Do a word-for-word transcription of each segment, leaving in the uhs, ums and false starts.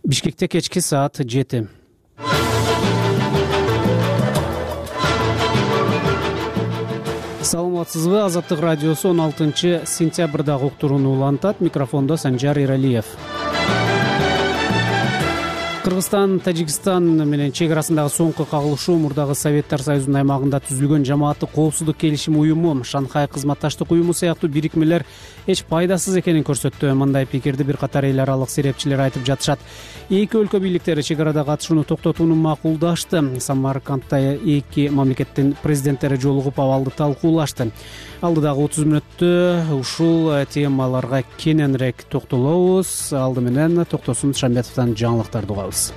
Бишкекте кечки саат жети. Саламатсызбы? Азаттык радиосу он алтынчы сентябрдагы уктурууну улантат. Микрофондо Санжар Иралиев. Кыргызстан, Тажикстан менен чек арасындагы соңку кагылышуу мурдагы Советтер Союзунун аймагында түзүлгөн жамааттык коопсуздук келишими уюму, Шанхай кызматташтык уюму сыяктуу бирикмелер эч пайдасыз экенин көрсөттү. Мындай пикирди бир катар эл аралык серепчилер айтып жатышат. Эки өлкө бийликтери чек арадагы атышууну токтотууну макулдашты. Самаркандда эки мамлекеттин президенттери жолугуп абалды талкуулашты. Алдыдагы отуз мүнөттө ушул темаларга кененирээк токтолобуз. Алды менен Токтосун Шамбетовдон жаңылыктарды угабыз.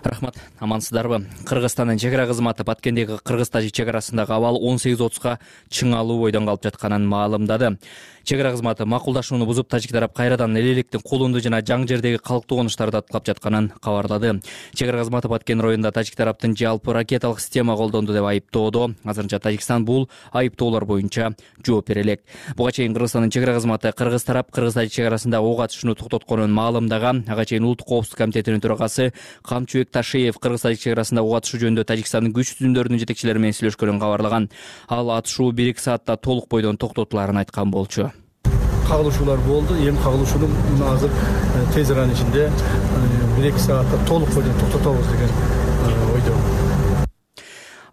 Рахмат, амансыздарбы? Кыргызстандын чек ара кызматы Баткендеги Кыргыз-Тажик чек арасындагы абал он сегиз отузга чыңалуу бойдон калып жатканын маалымдады. Чек ара кызматы макулдашууну бузуп, тажик тарап кайрадан эл электин кулунду жана жаң жердеги калктуу конуштарды аткылап жатканын кабарлады. Чек ара кызматы Баткен районунда тажик тараптын жалпы ракеталык система колдонду деп айыптоодо. Азырынча Тажикстан бул айыптоолор боюнча жооп бере элек. Буга чейин Кыргызстандын чек ара кызматы Кыргыз тарап Кыргыз-Тажик чек арасындагы ок атышууну токтотконун маалымдаган. Ага чейин Улуттук коопсуздук комитетинин төрагасы Камчыбек Ташиев Кыргыз-Тажик чек арасында ок атышуу жөнүндө Тажикстандын күч түзүмдөрүнүн жетекчилери менен сүйлөшкөнүн кабарлаган. Ал атышуу бир эки саатта толук бойдон токтотуларын айткан болчу. Кагылышуулар болду. Эми кагылышууну азыр тез аранын ичинде бир эки саатта толук бойдон токтотобуз деген ойдо.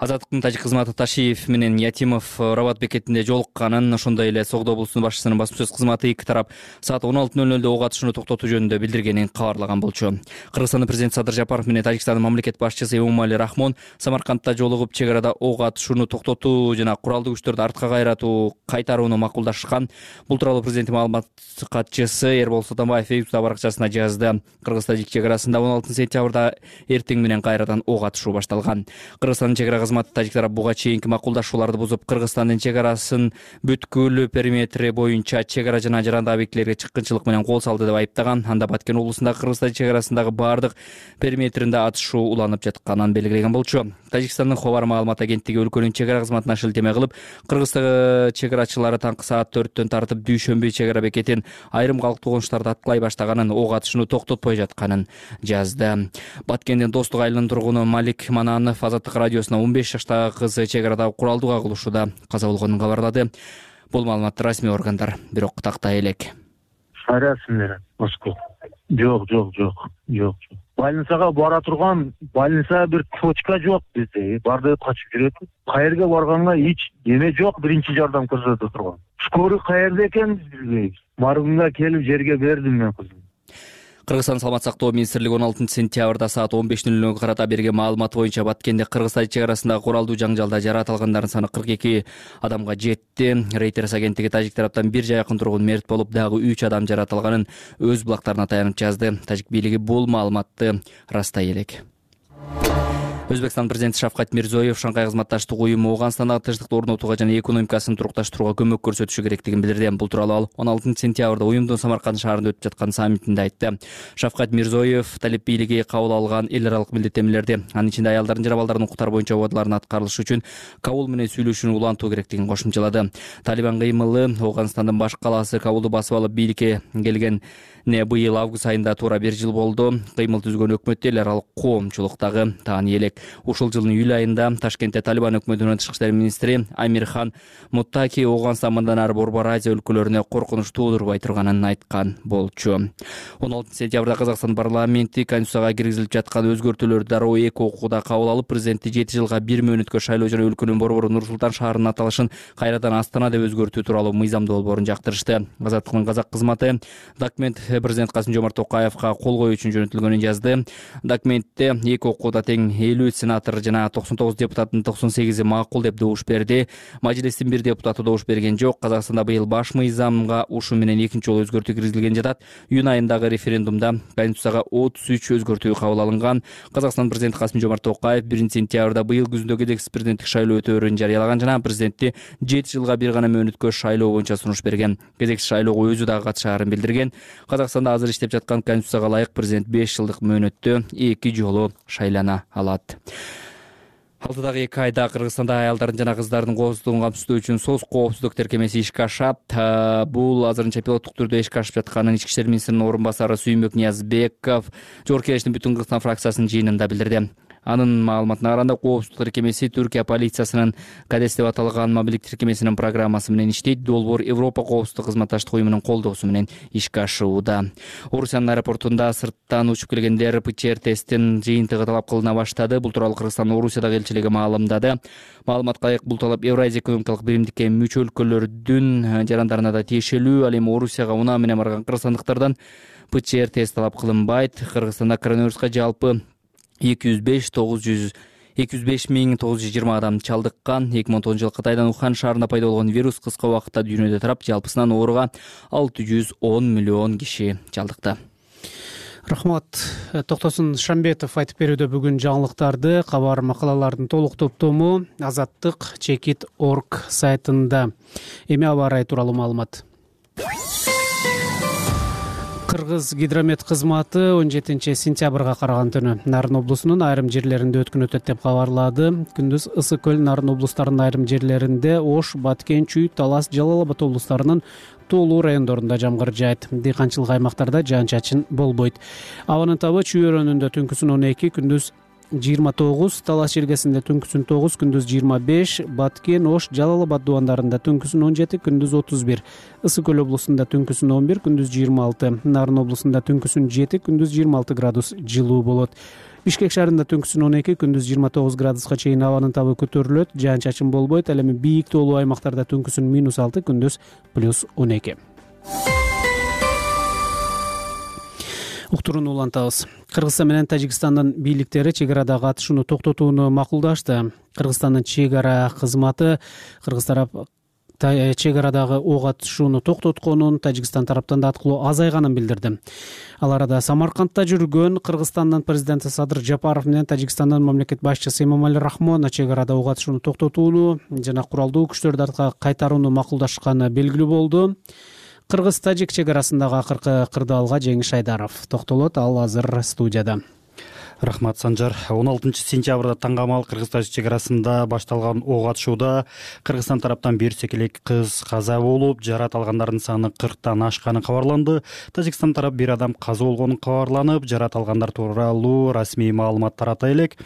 Азаттыктын тажик кызматы Ташиев менен Ятимов Рабат бекетинде жолукканын, ошондой эле Согдо облусунун башчысынын басма сөз кызматы эки тарап саат он алты нөл нөлдө ок атышууну токтотуу жөнүндө билдиргенин кабарлаган болчу. Кыргызстандын президенти Садыр Жапаров менен Тажикстандын мамлекет башчысы Эмомали Рахмон Самаркандда жолугуп, чек арада ок атышууну токтотуу жана куралдуу күчтөрдү артка кайратуу кайтарууну макулдашкан. Бул тууралуу президенттин маалымат катчысы Эрбол Сотомбаев Фейсбук баракчасына жазды. Кыргыз-Тажик чек арасында он алтынчы сентябрда эртең менен кайрадан ок атышуу башталган. Кыргызстандын чек ара кызматы тажик тарап буга чейинки макулдашууларды бузуп, Кыргызстандын чек арасын бүткүл периметри боюнча чек ара жана жарандык объектилерге чыккынчылык менен кол салды деп айыптаган. Анда Баткен облусундагы Кыргыз-Тажик чек арасындагы бардык периметринде атышуу уланып жатканын белгилеген болчу. Тажикстандын Хобар маалымат агенттиги өлкөнүн чек ара кызматына шилтеме кылып, Кыргыздагы чек арачылары таңкы саат төрттөн тартып дүйшөмбү чек ара бекетин айрым калктуу конуштарды аткылай баштаганын, ок атышууну токтотпой жатканын жазды. Баткендин Достук айылынын тургуну Малик Мананов Азаттык радиосуна он беш жаштагы кызы чек арада куралдуу кагылышууда каза болгонун кабарлады. Бул маалыматты расмий органдар бирок тактай элек. Расмий Москва. Жок, жок, жок, жок. Больницага бара турган, больница бир точка жок бизде. Барды качып жүрөт. Каерге барганга эч эме жок, биринчи жардам көрсөтө турган. Скорый каерде экен билбейбиз. Маргунга келип жерге бердим мен кызым. Кыргызстан саламат сактоо министрлиги он алтынчы сентябрда саат он беш нөл нөлгө карата берген маалымат боюнча Баткенде Кыргыз-Тажик чек арасындагы куралдуу жаңжалда жаракат алгандардын саны кырк эки адамга жетти. Reuters агенттиги тажик тараптан бир жакын тургун мерт болуп, дагы үч адам жаракат алганын өз булактарына таянып жазды. Тажик бийлиги бул маалыматты растай элек. Өзбекстан президенти Шавкат Мирзиёев Шанхай кызматташтык уюму Ооганстандагы тынчтыкты орнотууга жана экономикасын турукташтырууга көмөк көрсөтүшү керектигин билдирди. Бул тууралуу ал он алтынчы сентябрда уюмдун Самарканд шаарында өтүп жаткан саммитинде айтты. Шавкат Мирзиёев талеп бийлиги кабыл алган эл аралык милдеттенмелерди, анын ичинде аялдардын жана балдардын укуктары боюнча убадалардын аткарылышы үчүн Кабул менен сүйлөшүүнү улантуу керектигин кошумчалады. Талибан кыймылы Ооганстандын баш калаасы Кабулду басып алып бийликке келген не быйыл август айында туура бир жыл болду. Кыймыл түзгөн өкмөттө эл аралык коомчулуктагы таани элек. Ушул жылдын июль айында Ташкентте Талибан өкмөтүнүн тышкы иштер министри Амирхан Муттаки Ооганстан мындан ары Борбор Азия өлкөлөрүнө коркунуч туудурбай турганын айткан болчу. он алтынчы сентябрда Казакстан парламенти Конституцияга киргизилип жаткан өзгөртүүлөрдү дароо эки окууда кабыл алып, президентти жети жылга бир мөөнөткө шайлоо жана өлкөнүн борбору Нур-Султан шаарынын аталышын кайрадан Астана деп өзгөртүү тууралуу мыйзамдуу долбоорун жактырышты. Азаттыктын казак кызматы документ президент Касым-Жомарт Токаевга кол коюу үчүн жөнөтүлгөнүн жазды. Документте эки окууда тең элүү сенатор жана токсон тогуз депутаттын токсон сегизи макул деп добуш берди. Мажлистин бир депутаты добуш берген жок. Казакстанда быйыл баш мыйзамга ушу менен экинчи жолу өзгөртүү киргизилген жатат. Июнь айындагы референдумда Конституцияга отуз үч өзгөртүү кабыл алынган. Казакстан президенти Касым-Жомарт Токаев биринчи сентябрда быйыл күзүндө кезектик президенттик шайлоо өтөөрүн жарыялаган жана президентти жети жылга бир гана мөөнөткө шайлоо боюнча сунуш берген. Кезектик шайлоого өзү дагы катышаарын билдирген. Казакстанда азыр иштеп жаткан Конституцияга ылайык президент беш жылдык мөөнөттө эки жолу шайлана алат. Алдыдагы эки айда Кыргызстанда аялдардын жана кыздардын коопсуздугун камсыздоо үчүн соц коопсуздук тиркемеси ишке ашат. Бул азырынча пилоттук түрдө ишке ашып жатканын Ички иштер министринин орун басары Сүйүнбөк Ниязбеков Жогорку Кеңештин Бүтүн Кыргызстан фракциясынын жыйынында билдирди. Анын маалыматына караганда, коопсуздук тиркемеси Түркия полициясынын Кадес деп аталган мобилдик тиркемесинин программасы менен иштейт. Долбоор Европа коопсуздук кызматташтык уюмунун колдоосу менен ишке ашууда. Орусиянын аэропортунда сырттан учуп келгендер ПЦР тесттин жыйынтыгы талап кылына баштады. Бул тууралуу Кыргызстандын Орусиядагы элчилиги маалымдады. Маалыматка ылайык, бул талап Евразия экономикалык биримдикке мүчө өлкөлөрдүн жарандарына да тиешелүү. Ал эми Орусияга унаа менен барган кыргызстандыктардан ПЦР тест талап кылынбайт. Кыргызстанда коронавируска жалпы эки жүз беш миң тогуз жүз жыйырма адам чалдыккан. эки миң он тогузунчу жылы Кытайдан Ухан шаарында пайда болгон вирус кыска убакытта дүйнөдө тарап, жалпысынан ооруга алты жүз он миллион киши чалдыкты. Рахмат. Токтосун Шамбетов айтып берүүдө бүгүн жаңылыктарды. Кабар макалалардын толук топтому азаттык чекит точка орг сайтында. Эми аба ырайы тууралуу маалымат. Кыргыз гидромет кызматы он жетинчи сентябрга караган түнү Нарын облусунун айрым жерлеринде өткөн өтөт деп кабарлады. Күндүз Ысык көл, Нарын облустарынын айрым жерлеринде, Ош, Баткен, Чүй, Талас, Жалал Абад облустарынын тоолуу райондорунда жамгыр жаайт. Дыйканчылык аймактарда жаан-чачын болбойт. Абанын табы Чүй өрөөнүндө түнкүсүн он эки, күндүз жыйырма тогуз, Талас жергесинде түнкүсүн тогуз, күндүз жыйырма беш, Баткен, Ош, Жалал Абад дубандарында түнкүсүн он жети, күндүз отуз бир, Ысык көл облусунда түнкүсүн он бир, күндүз жыйырма алты, Нарын облусунда түнкүсүн жети, күндүз жыйырма алты градус жылуу болот. Бишкек шаарында түнкүсүн он эки, күндүз жыйырма тогуз градуска чейин абанын табы көтөрүлөт, жаан-чачын болбойт. Ал эми бийик тоолуу аймактарда түнкүсүн минус алты, күндүз плюс он эки. Уктурууну улантабыз. Кыргызстан менен Тажикстандын бийликтери чек арадагы атышууну токтотууну макулдашты. Кыргызстандын чек ара кызматы Кыргыз тарап чек арадагы ок атышууну токтотконун, Тажикстан тараптан да аткылоо азайганын билдирди. Ал арада Самаркандда жүргөн Кыргызстандын президенти Садыр Жапаров менен Тажикстандын мамлекет башчысы Эмомали Рахмонов чек арада ок атышууну токтотууну жана куралдуу күчтөрдү артка кайтарууну макулдашканы белгилүү болду. Кыргыз-тажик чек арасындагы акыркы кырдаалга Жеңиш Айдаров токтолот. Ал азыр студияда. Рахмат, Санжар. он алтынчы сентябрда таңгамал Кыргыз-тажик чек арасында башталган ок атышууда Кыргызстан тараптан бир секелек кыз каза болуп, жарат алгандардын саны кырктан ашканы кабарланды. Тажикстан тарап бир адам каза болгонун кабарланып, жарат алгандар тууралуу расмий маалымат тарата элек.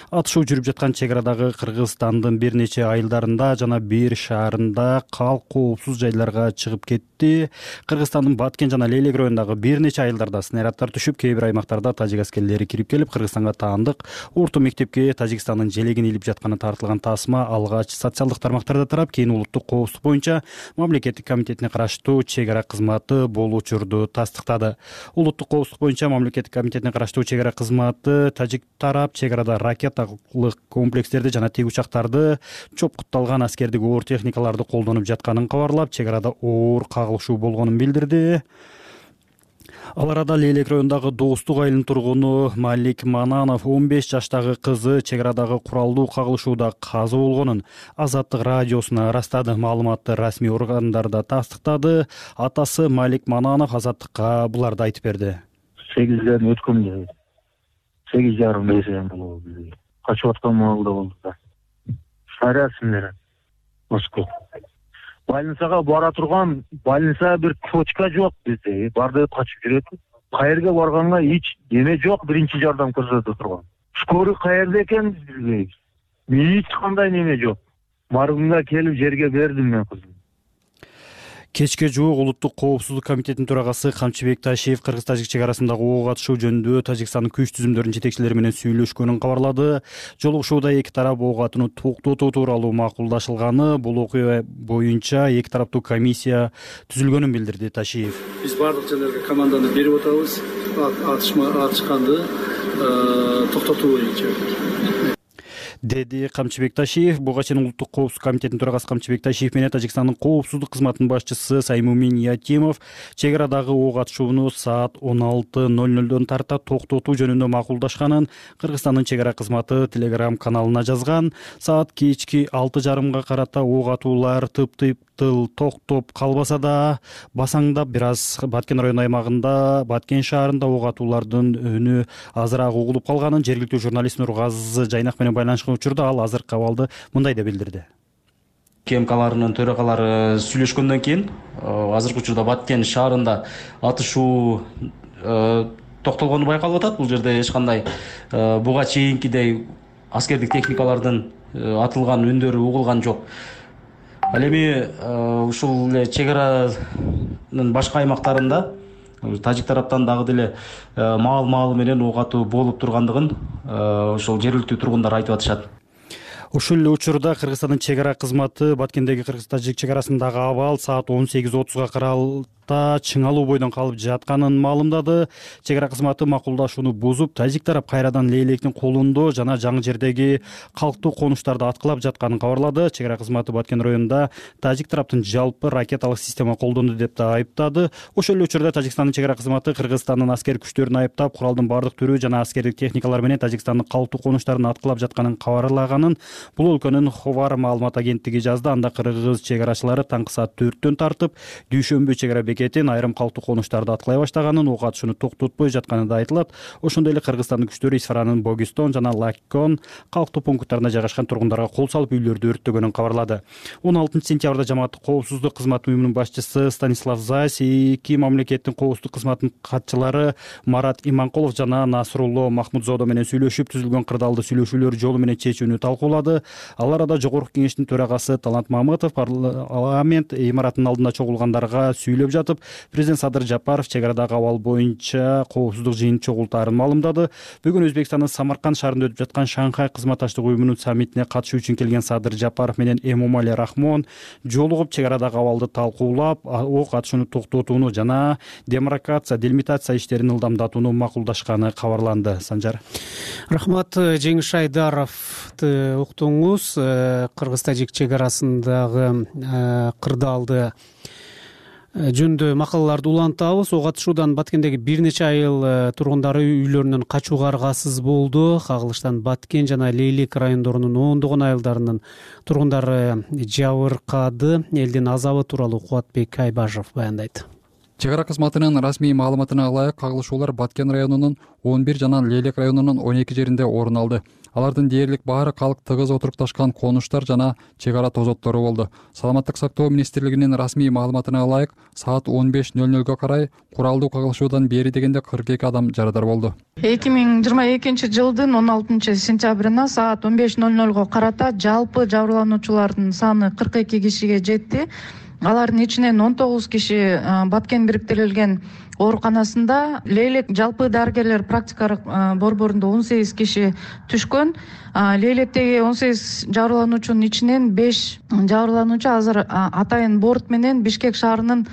Атышуу жүрүп жаткан чек арадагы Кыргызстандын бир нече айылдарында жана бир шаарында калк коопсуз жайларга чыгып кетти. Кыргызстандын Баткен жана Лейлек районундагы бир нече айылдарда снаряддар түшүп, кээ бир аймактарда тажик аскерлери кирип келип, Кыргызстанга таандык орто мектепке Тажикстандын желегин илип жатканы тартылган тасма алгач социалдык тармактарда тарап, кийин улуттук коопсуздук боюнча мамлекеттик комитетине караштуу чек ара кызматы бул учурду тастыктады. Улуттук коопсуздук боюнча мамлекеттик комитетине караштуу чек ара кызматы тажик тарап чек арада ракеталык комплекстерди жана тигучактарды, чопкутталган аскердик оор техникаларды колдонуп жатканын кабарлап, чек арада оор кагылышуу болгонун билдирди. Ал арада Лейлек районундагы Достук айылынын тургуну Малик Мананов он беш жаштагы кызы чек арадагы куралдуу кагылышууда каза болгонун Азаттык радиосуна ырастады. Маалыматты расмий органдар да тастыктады. Атасы Малик Мананов Азаттыкка буларды айтып берди. сегизден өткөн сегиз жарым эсен болду. Качып аткан маалда болду да. Шарасым менен Москва. Больницага бара турган, больница бир точка жок бизде. Барды качып жүрөт. Каерге барганга эч эме жок, биринчи жардам көрсөтө турган. Скорый каерде экен билбейбиз. Эч кандай неме жок. Маргунга келип жерге бердим мен кызым. Кечке жуук улуттук коопсуздук комитетинин төрагасы Камчыбек Ташиев Кыргыз-тажик чек арасындагы ок атышуу жөнүндө Тажикстандын күч түзүмдөрүнүн жетекчилери менен сүйлөшкөнүн кабарлады. Жолугушууда эки тарап ок атууну токтотуу тууралуу макулдашылганы, бул окуя боюнча эки тараптуу комиссия түзүлгөнүн билдирди Ташиев. Биз бардык жерлерге команданы берип атабыз. Атышма атышканды токтотуу боюнча. деди Камчыбек Ташиев. Буга чейин улуттук коопсуздук комитетинин төрагасы Камчыбек Ташиев менен Тажикстандын коопсуздук кызматынын башчысы Саймумин Ятимов чек арадагы ок атышууну саат он алты ноль нолдон тарта токтотуу жөнүндө макулдашканын Кыргызстандын чек ара кызматы Telegram каналына жазган. Саат кечки алты жарымга карата ок атуулар тып-тып тыл токтоп калбаса да басаңдап бир аз Баткен району аймагында, Баткен шаарында ок атуулардын үнү азыраак угулуп калганын жергиликтүү журналист Нургазы Жайнак менен байланышкан учурда ал азыркы абалды мындай деп билдирди. КМКларынын төрагалары сүйлөшкөндөн кийин азыркы учурда Баткен шаарында атышуу токтолгону байкалып атат. Бул жерде эч кандай буга чейинкидей аскердик техникалардын атылган үндөрү угулган жок. Ал эми ушул эле чек аранын башка аймактарында тажик тараптан дагы деле маал-маалы менен ок атуу болуп тургандыгын ошол жергиликтүү тургундар айтып атышат. Ушул эле учурда Кыргызстандын чек ара кызматы Баткендеги кыргыз-тажик чек арасындагы абал саат он сегиз отузга каралып чыңалуу бойдон калып жатканын маалымдады. Чек ара кызматы макулдашууну бузуп, тажик тарап кайрадан Лейлектин колундо жана жаңы жердеги калктуу конуштарды аткылап жатканын кабарлады. Чек ара кызматы Баткен районунда тажик тараптын жалпы ракеталык система колдонду деп да айыптады. Ошол эле учурда Тажикстандын чек ара кызматы Кыргызстандын аскер күчтөрүн айыптап, куралдын бардык түрү жана аскердик техникалар менен Тажикстандын калктуу конуштарын аткылап жатканын кабарлаганын бул өлкөнүн Ховар маалымат агенттиги жазды. Анда кыргыз чек арачылары таңкы саат төрттөн тартып Дүйшөмбү чек ара бекетин айрым калктуу конуштарды аткылай баштаганын, ок атышууну токтотпой жатканы да айтылат. Ошондой эле Кыргызстандын күчтөрү Исфаранын Богистон жана Лаккон калктуу пункттарына жайгашкан тургундарга кол салып үйлөрдү өрттөгөнүн кабарлады. он алтынчы сентябрда жамааттык коопсуздук кызматы уюмунун башчысы Станислав Зайс, эки мамлекеттин коопсуздук кызматынын катчылары Марат Иманкулов жана Насрулло Махмудзодо менен сүйлөшүп, түзүлгөн кырдаалды сүйлөшүүлөр жолу менен чечүүнү талкуулады. Ал арада Жогорку кеңештин төрагасы Талант Мамытов парламент имаратынын алдында чогулгандарга сүйлөп жатып, президент Садыр Жапаров чек арадагы абал боюнча коопсуздук жыйын чогултаарын маалымдады. Бүгүн Өзбекстандын Самарканд шаарында өтүп жаткан Шанхай кызматташтык уюмунун саммитине катышуу үчүн келген Садыр Жапаров менен Эмомали Рахмон жолугуп чек арадагы абалды талкуулап, ок атышууну токтотууну жана демаркация, делимитация иштерин ылдамдатууну макулдашканы кабарланды. Санжар. Рахмат. Жеңиш Айдаровду уктуңуз. Кыргыз-тажик чек арасындагы кырдаалды жөнүндө макалаларды улантабыз. Ок атышуудан Баткендеги бир нече айыл тургундары үйлөрүнөн качууга аргасыз болду. Кагылыштан Баткен жана Лейлек райондорунун ондогон айылдарынын тургундары жабыркады. Элдин азабы тууралуу Кубатбек Айбашев баяндайт. Чек ара кызматынын расмий маалыматына ылайык кагылышуулар Баткен районунун он бир жана Лейлек районунун он эки жеринде орун алды. Алардын дээрлик баары калк тыгыз отурукташкан конуштар жана чек ара тозоттору болду. Саламаттык сактоо министрлигинин расмий маалыматына ылайык саат он беш ноль нольго карай куралдуу кагылышуудан бери дегенде кырк эки адам жарадар болду. эки миң жыйырма экинчи жылдын он алтынчы сентябрына саат он беш ноль нольго карата жалпы жабырлануучулардын саны кырк эки кишиге жетти. Алардын ичинен он тогуз киши Баткен бириктирилген ооруканасында, Лейлек жалпы дарыгерлер практикалык борборунда он сегиз киши түшкөн. Лейлектеги он сегиз жабырлануучунун ичинен беш жабырлануучу азыр атайын борт менен Бишкек шаарынын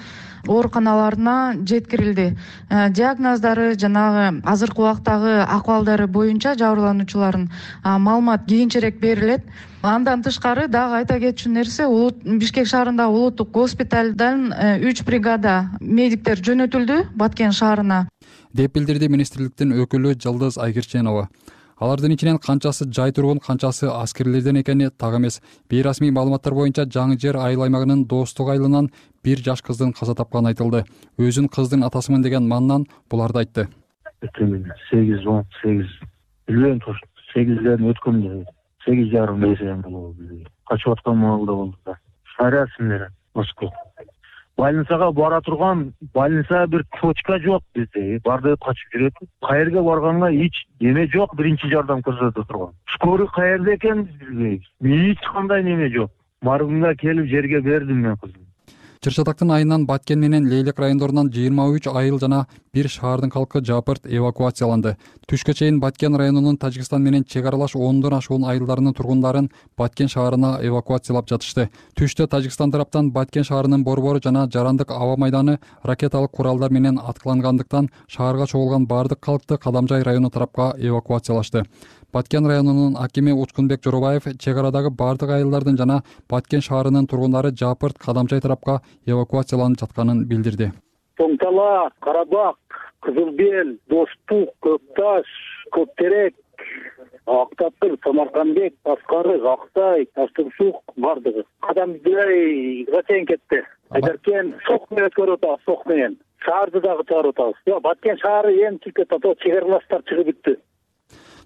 ооруканаларына жеткирилди. Диагноздору жанагы азыркы убактагы акыбалдары боюнча жабырлануучулардын маалымат кийинчерээк берилет. Андан тышкары дагы айта кетчү нерсе, Бишкек шаарындагы улуттук госпиталдан үч бригада медиктер жөнөтүлдү Баткен шаарына, деп билдирди министрликтин өкүлү Жылдыз Айгирченова. Алардын ичинен канчасы жай тургун, канчасы аскерлерден экени так эмес. Бейрасмий маалыматтар боюнча Жаңы Жер айыл аймагынын Достук айылынан бир жаш кыздын каза тапканы айтылды. Өзүн кыздын атасымын деген маннан буларды айтты. сегиз он сегиз билбейм, сегизден өткөндө сегиз жарым нерсе болду. Качып аткан маалда болду да. Шарасымдер Москва. Больницага бара турган, больница бир точка жок бизде. Барды качып жүрөт. Каерге барганга эч неме жок, биринчи жардам көрсөтө турган. Скорый каерде экен билбейбиз. Эч кандай неме жок. Маргунга келип жерге бердим мен кыздым. Чыр-Чатактын айынан Баткен менен Лейлек райондорунан жыйырма үч айыл жана бир шаардын калкы жапырт эвакуацияланды. Түшкө чейин Баткен районунун Тажикстан менен чек аралаш ондон ашуун айылдарынын тургундарын Баткен шаарына эвакуациялап жатышты. Түштө Тажикстан тараптан Баткен шаарынын борбору жана Жарандык аба майданы ракеталык куралдар менен аткылангандыктан шаарга чогулган бардык калкты Кадамжай району тарапка эвакуациялашты. Баткен районунун акими Учкунбек Жоробаев чек арадагы бардык айылдардын жана Баткен шаарынын тургундары Жапырт, Кадамжай тарапка эвакуацияланып жатканын билдирди. Тоңтала, Карабак, Кызылбел, Достук, Көкташ, Көптерек, Актапкыр, Самаркандбек, Аскарык, Актай, Таштыксук бардыгы. Кадамжайга чейин кетти. Айдаркен сок менен өткөрүп атабыз, сок менен. Шаарды дагы чыгарып атабыз. Баткен шаары эми чыкты, чек аралаштар чыгып бүттү.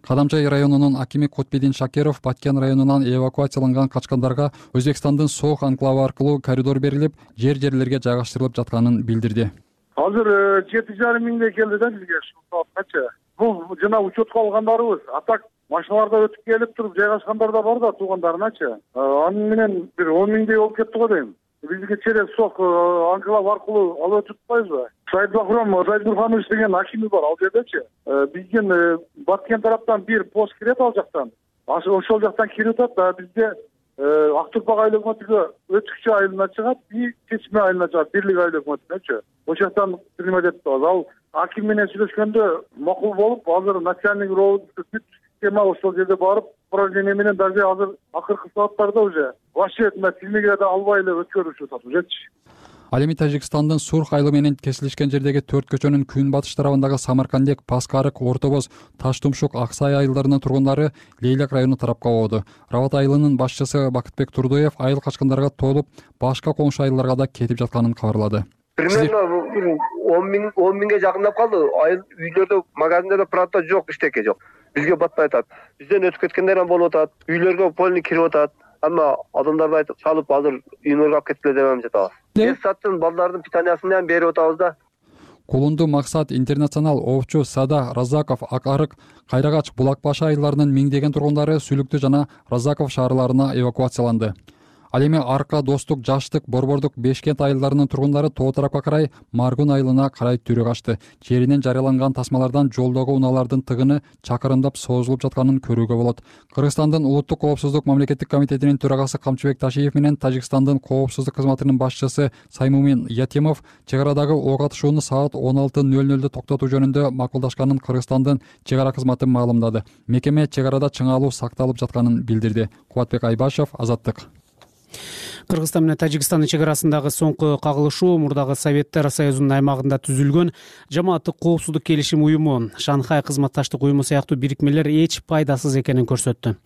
Кадамчай районунун акими Кутбедин Шакиров Баткен районунан эвакуацияланган качкандарга Өзбекстандын Сох анклавы аркылуу коридор берилип, жер жерлерге жайгаштырылып жатканын билдирди. Азыр жети жарым миңдей келди да бизге ушул саатча. Бул жана учетко алгандарыбыз. А так машиналарда өтүп келип туруп жайгашкандар да бар да туугандарыначы. Аны менен бир он миңдей болуп кетти го дейм. Бизге через Сох анклав аркылуу алып өтүп атпайбызбы? Сайдбахром Зайдурханович деген акими бар ал жердечи. Биздин Баткен тараптан бир пост кирет ал жактан. Ошол жактан кирип атат да бизде Ак Турпак айыл өкмөтүгө өтүкчү айылына чыгат, и Чечме айылына чыгат, Бирлик айыл өкмөтүнөчү. Ошол жактан принимать этип атабыз. Ал аким менен сүйлөшкөндө макул болуп, азыр начальник роут система ошол жерде барып, управление менен даже азыр акыркы сааттарда уже вообще тилмеге да албай эле өткөрүшүп атат ужечи. Ал эми Тажикстандын Сурх айылы менен кесилишкен жердеги төрт көчөнүн күн батыш тарабындагы Самаркандек, Паскарык, Орто Боз, Таш Тумшук, Аксай айылдарынын тургундары Лейлек району тарапка ободу. Рават айылынын башчысы Бакытбек Турдуев айыл качкандарга толуп, башка коңшу айылдарга да кетип жатканын кабарлады. Примерно он миң он миңге жакындап калды. Айыл үйлөрдө, магазиндерде продукт жок, иштеке жок. Бизге батпай атат. Бизден өтүп кеткендер болуп атат. Үйлөргө полный кирип атат. Амма адамдарды айтып чалып азыр үйүнөргө алып кеткиле деп жатабыз. Бес саттын балдардын питаниясын берип атабыз да. Кулунду, Максат, Интернационал, Овчу, Сада, Разаков, Акарык, Кайрагач, Булак Башы айылдарынын миңдеген тургундары Сүлүктү жана Разаков шаарларына эвакуацияланды. Ал эми Арка, Достук, Жаштык, Борбордук, Бешкент айылдарынын тургундары тоо тарапка карай Маргун айылына карай түрү качты. Жеринен жарыяланган тасмалардан жолдогу унаалардын тыгыны чакырымдап созулуп жатканын көрүүгө болот. Кыргызстандын Улуттук коопсуздук мамлекеттик комитетинин төрагасы Камчыбек Ташиев менен Тажикстандын коопсуздук кызматынын башчысы Саймумин Ятимов чек арадагы ок атышууну саат он алты нөл нөлдө токтотуу жөнүндө макулдашканын Кыргызстандын чек ара кызматы маалымдады. Мекеме чек арада чыңалуу сакталып жатканын билдирди. Кубатбек Айбашев, Азаттык. Кыргызстан менен Тажикстандын чек арасындагы соңку кагылышуу мурдагы Советтер Союзунун аймагында түзүлгөн жамааттык коопсуздук келишим уюму, Шанхай кызматташтык уюму сыяктуу бирикмелер эч пайдасыз экенин көрсөттү.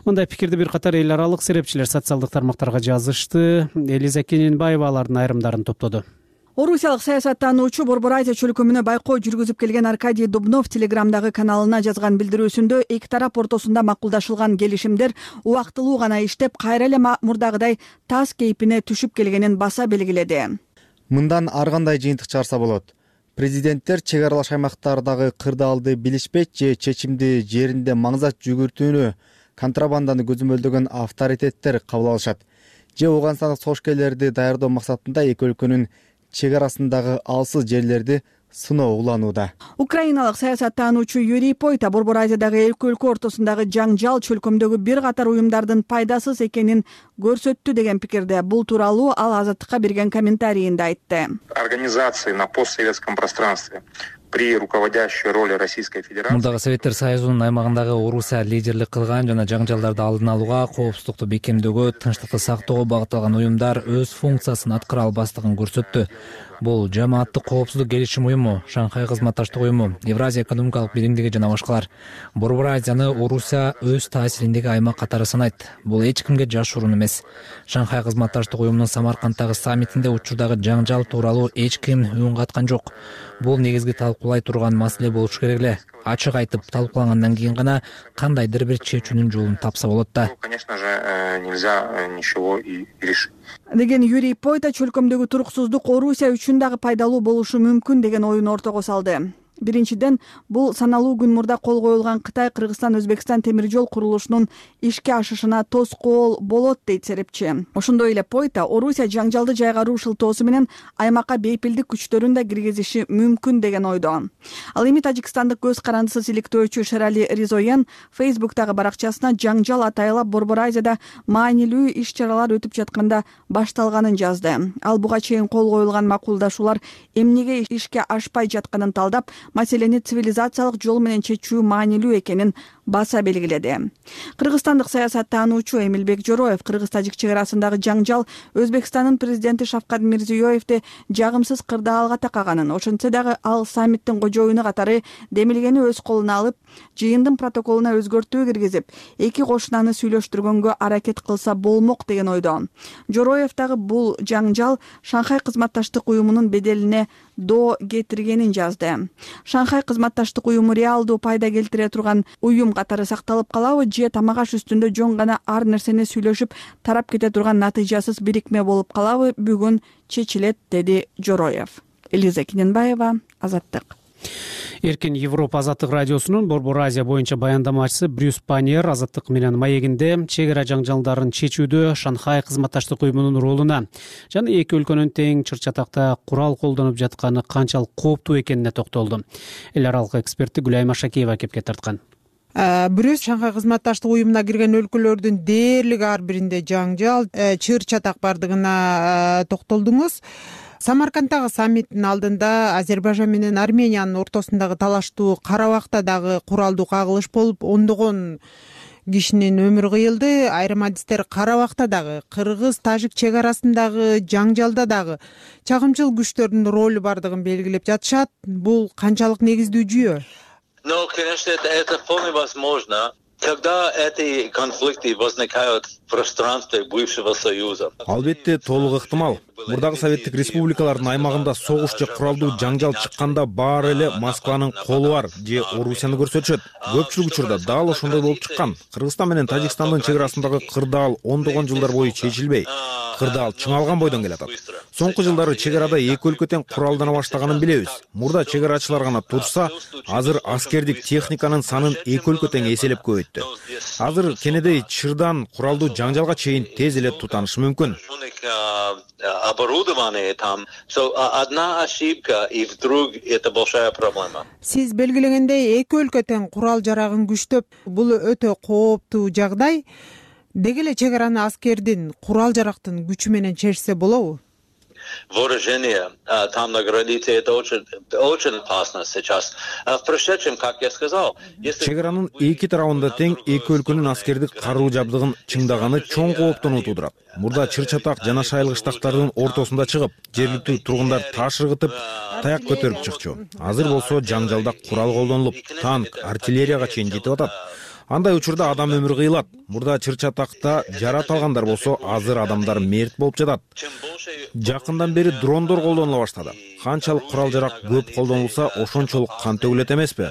Мындай пикирди бир катар эл аралык серепчилер социалдык тармактарга жазышты. Элиза Кененбаева алардын айрымдарын топтоду. Орусиялык саясаттануучу Борбор Азия чөлкөмүнө байкоо жүргүзүп келген Аркадий Дубнов Телеграмдагы каналына жазган билдирүүсүндө эки тарап ортосунда макулдашылган келишимдер убактылуу гана иштеп, кайра эле мурдагыдай таз кейпине түшүп келгенин баса белгиледи. Мындан ар кандай жыйынтык чыгарса болот. Президенттер чек аралаш аймактардагы кырдаалды билишпейт же чечимди жеринде маңзат жүгүртүүнү, контрабанданы көзөмөлдөгөн авторитеттер кабыл алышат. Же Ооганстандык сошкерлерди даярдоо максатында эки өлкөнүн чек арасындагы алсыз жерлерди сыноо уланууда. Украиналык саясаттануучу Юрий Пойта Борбор Азиядагы эки өлкө ортосундагы жаңжал чөлкөмдөгү бир катар уюмдардын пайдасыз экенин көрсөттү деген пикирде. Бул тууралуу ал Азаттыкка берген комментарийинде айтты. Организации на постсоветском пространстве при руководящей роли Российской Федерации. Мурдагы Советтер Союзунун аймагындагы Орусия лидерлик кылган жана жаңжалдарды алдын алууга, коопсуздукту бекемдөөгө, тынчтыкты сактоого багытталган уюмдар өз функциясын аткара албастыгын көрсөттү. Бул жамааттык коопсуздук келишим уюму, Шанхай кызматташтык уюму, Евразия экономикалык биримдиги жана башкалар. Борбор Азияны Орусия өз таасириндеги аймак катары санайт. Бул эч кимге жашыруун эмес. Шанхай кызматташтык уюмунун Самаркандтагы саммитинде учурдагы жаңжал тууралуу эч ким үн каткан жок. Бул негизги талкуулай турган маселе болуш керек эле. Ачык айтып талкуулангандан кийин гана кандайдыр бир чечүүнүн жолун тапса болот да. Конечно же, нельзя ничего и решить. Деген Юрий Пойта чөлкөмдөгү туруксуздук Орусия үчүн дагы пайдалуу болушу мүмкүн деген оюн ортого салды. Биринчиден, бул саналуу күн мурда кол коюлган Кытай Кыргызстан Өзбекстан темир жол курулушунун ишке ашышына тоскоол болот дейт серепчи. Ошондой эле Пойта Орусия жаңжалды жайгаруу шылтоосу менен аймакка бейпилдик күчтөрүн да киргизиши мүмкүн деген ойдо. Ал эми тажикстандык көз карандысыз иликтөөчү Шерали Ризоян Фейсбуктагы баракчасына жаңжал атайлап Борбор Азияда маанилүү иш-чаралар өтүп жатканда башталганын жазды. Ал буга чейин кол коюлган макулдашуулар эмнеге ишке ашпай жатканын талдап, маселени цивилизациялык жол менен чечүү маанилүү экенин баса белгиледи. Кыргызстандык саясаттануучу Эмилбек Жороев кыргыз-тажик чек арасындагы жаңжал Өзбекстандын президенти Шавкат Мирзиёевди жагымсыз кырдаалга такаганын, ошентсе дагы ал саммиттин кожоюну катары демилгени өз колуна алып, жыйындын протоколуна өзгөртүү киргизип, эки кошунаны сүйлөштүргөнгө аракет кылса болмок деген ойдо. Жороев дагы бул жаңжал Шанхай кызматташтык уюмунун беделине доо кетиргенин жазды. Шанхай кызматташтык уюму реалдуу пайда келтире турган уюм катары сакталып калабы же тамак аш үстүндө жөн гана ар нерсени сүйлөшүп тарап кете турган натыйжасыз бирикме болуп калабы бүгүн чечилет, деди Жороев. Элиза Кененбаева, Азаттык. Эркин Европа Азаттык радиосунун Борбор Азия боюнча баяндамачысы Брюс Паньер Азаттык менен маегинде чек ара жаңжалдарын чечүүдө Шанхай кызматташтык уюмунун ролуна жана эки өлкөнүн тең чыр-чатакта курал колдонуп жатканы канчалык кооптуу экенине токтолду. Эл аралык эксперти Гүлайма Шакиева кепке тарткан. Брюс Шанхай кызматташтык уюмуна кирген өлкөлөрдүн дээрлик ар биринде жаңжал, чыр-чатак бардыгына токтолдуңуз. Самаркандтагы саммиттин алдында Азербайжан менен Армениянын ортосундагы талаштуу кара убакта дагы куралдуу кагылыш болуп, ондогон кишинин өмүрү кыйылды. Айрым адистер кара убакта дагы кыргыз-тажик чек арасындагы жаңжалда дагы чагымчыл күчтөрдүн ролу бардыгын белгилеп жатышат. Бул канчалык негиздүү жүйө? Ну, конечно, это, это вполне возможно. Когда эти конфликты возникают в пространстве бывшего Союза. Албетте толук ыктымал. Мурдагы советтик республикалардын аймагында согуш же куралдуу жаңжал чыкканда баары эле Москванын колу бар же Орусияны көрсөтүшөт. Көпчүлүк учурда дал ошондой болуп чыккан. Кыргызстан менен Тажикстандын чек арасындагы кырдаал ондогон жылдар бою чечилбей, кырдаал чыңалган бойдон келатат. Соңку жылдары чек арада эки өлкө тең куралдана баштаганын билебиз. Мурда чек арачылар гана турса, азыр аскердик техниканын санын эки өлкө тең эселеп көбөйттү. Азыр кенедей чырдан куралдуу жаңжалга чейин тез эле тутанышы мүмкүн. Оборудование там. So, одна ошибка, и вдруг это большая проблема. Сиз белгилегендей эки өлкө тең курал жарагын күчтөп, бул өтө кооптуу жагдай. Деги эле чек араны аскердин курал жарактын күчү менен чечсе болобу? Вооружение там на границе это очень очень опасно сейчас. В прошедшем, как я сказал, если чек аранын эки тарабында тең эки өлкөнүн аскердик каруу жабдыгын чыңдаганы чоң кооптону туудурат. Мурда чыр-чатак жана шайылгычтактардын ортосунда чыгып, жергиликтүү тургундар таш ыргытып, таяк көтөрүп чыкчу. Азыр болсо жаңжалда курал колдонулуп, танк, артиллерияга чейин жетип атат. Андай учурда адам өмүрү кыйылат. Мурда чыр-чатакта жарат алгандар болсо, азыр адамдар мерт болуп жатат. Жакындан бери дрондор колдонула баштады. Канчалык курал жарак көп колдонулса, ошончолук кан төгүлөт эмеспи?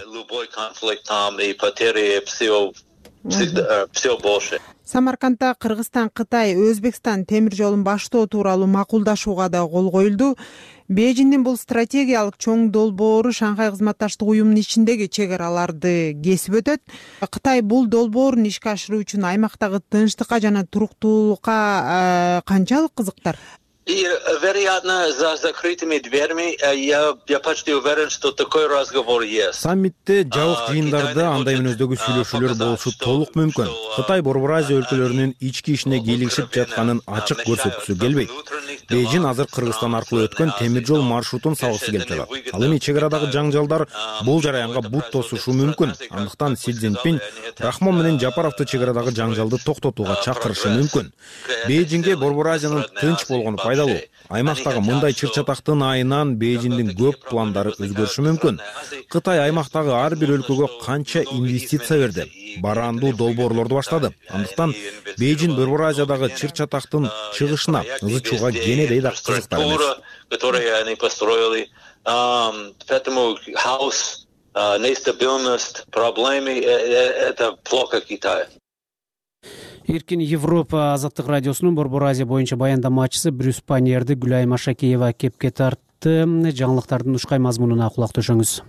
Самаркандда Кыргызстан, Кытай, Өзбекстан темир жолун баштоо тууралуу макулдашууга да кол коюлду. Бейжиңдин бул стратегиялык чоң долбоору Шанхай кызматташтык уюмунун ичиндеги чек араларды кесип өтөт. Кытай бул долбоорун ишке ашыруу үчүн аймактагы тынчтыкка жана туруктуулукка канчалык кызыктар? И, вероятно, за закрытыми дверьми я, я почти уверен, что такой разговор есть. Саммитте жабык жыйындарда андай мүнөздөгү сүйлөшүүлөр болушу толук мүмкүн. Кытай Борбор Азия өлкөлөрүнүн ички ишине кийлигишип жатканын ачык көрсөткүсү келбейт. Бейжиң азыр Кыргызстан аркылуу өткөн темир жол маршрутун салгысы келип жатат. Ал эми чек арадагы жаңжалдар бул жараянга бут тосушу мүмкүн. Андыктан Си Цзиньпин Рахмон менен Жапаровду чек арадагы жаңжалды токтотууга чакырышы мүмкүн. Бейжиңге Борбор Азиянын тынч болгону пайдалуу. Аймактагы мындай чыр-чатактын айынан Бейжиңдин көп пландары өзгөрүшү мүмкүн. Кытай аймактагы ар бир өлкөгө канча инвестиция берди, бараандуу долбоорлорду баштады. Андыктан Бейжиң Борбор Азиядагы чыр-чатактын чыгышына ызычууга кенедей да кызыктар эмес. Которые они построили, поэтому хаос, нестабильность, проблемы это плохо Китаю. Эркин Европа Азаттык радиосунун Борбор Азия боюнча баяндамачысы Брюс Паньерди Гүлайма Шакиева кепке тартты. Жаңылыктардын ушкай мазмунуна кулак төшөңүз.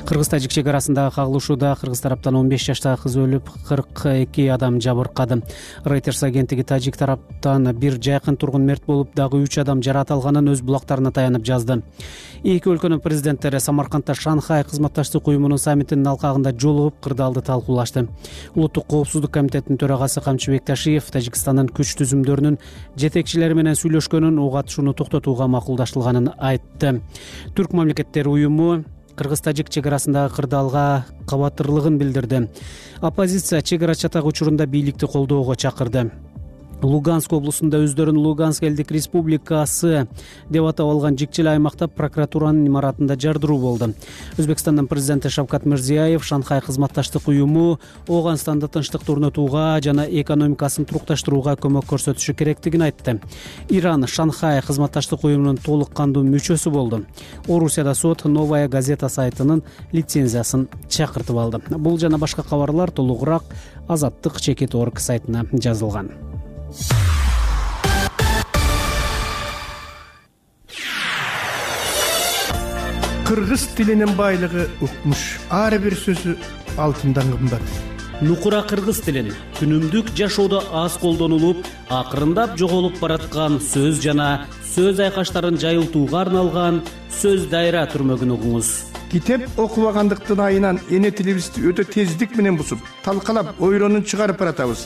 Кыргыз-тажик чек арасындагы кагылышууда кыргыз тараптан он беш жаштагы кыз өлүп, кырк эки адам жабыркады. Reuters агенттиги тажик тараптан бир жайкын тургун мерт болуп, дагы үч адам жарат алганын өз булактарына таянып жазды. Эки өлкөнүн президенттери Самаркандда Шанхай кызматташтык уюмунун саммитинин алкагында жолугуп, кырдаалды талкуулашты. Улуттук коопсуздук комитетинин төрагасы Камчыбек Ташиев Тажикстандын күч түзүмдөрүнүн жетекчилери менен сүйлөшкөнүн, ок атышууну токтотууга макулдаштырылганын айтты. Түрк мамлекеттери уюму Кыргыз-тажик чек арасындагы кырдаалга кабатырлыгын билдирди. Оппозиция чек ара чатак учурунда бийликти колдоого чакырды. Луганск облусунда өздөрүн Луганск элдик республикасы деп атап алган жикчил аймакта прокуратуранын имаратында жардыруу болду. Өзбекстандын президенти Шавкат Мирзиёев Шанхай кызматташтык уюму Ооганстанда тынчтыкты орнотууга жана экономикасын турукташтырууга көмөк көрсөтүшү керектигин айтты. Иран Шанхай кызматташтык уюмунун толук кандуу мүчөсү болду. Орусияда сот Новая газета сайтынын лицензиясын чакыртып алды. Бул жана башка кабарлар толугураак Азаттык чекит орг сайтына жазылган. Кыргыз тилинин байлыгы укмуш. Ар бир сөзү алтындан кымбат. Нукура кыргыз тилин күнүмдүк жашоодо аз колдонулуп, акырындап жоголуп бараткан сөз жана сөз айкаштарын жайылтууга арналган сөз дайра түрмөгүн угуңуз. Китеп окубагандыктын айынан эне тилибизди өтө тездик менен бусуп, талкалап, ойронун чыгарып баратабыз.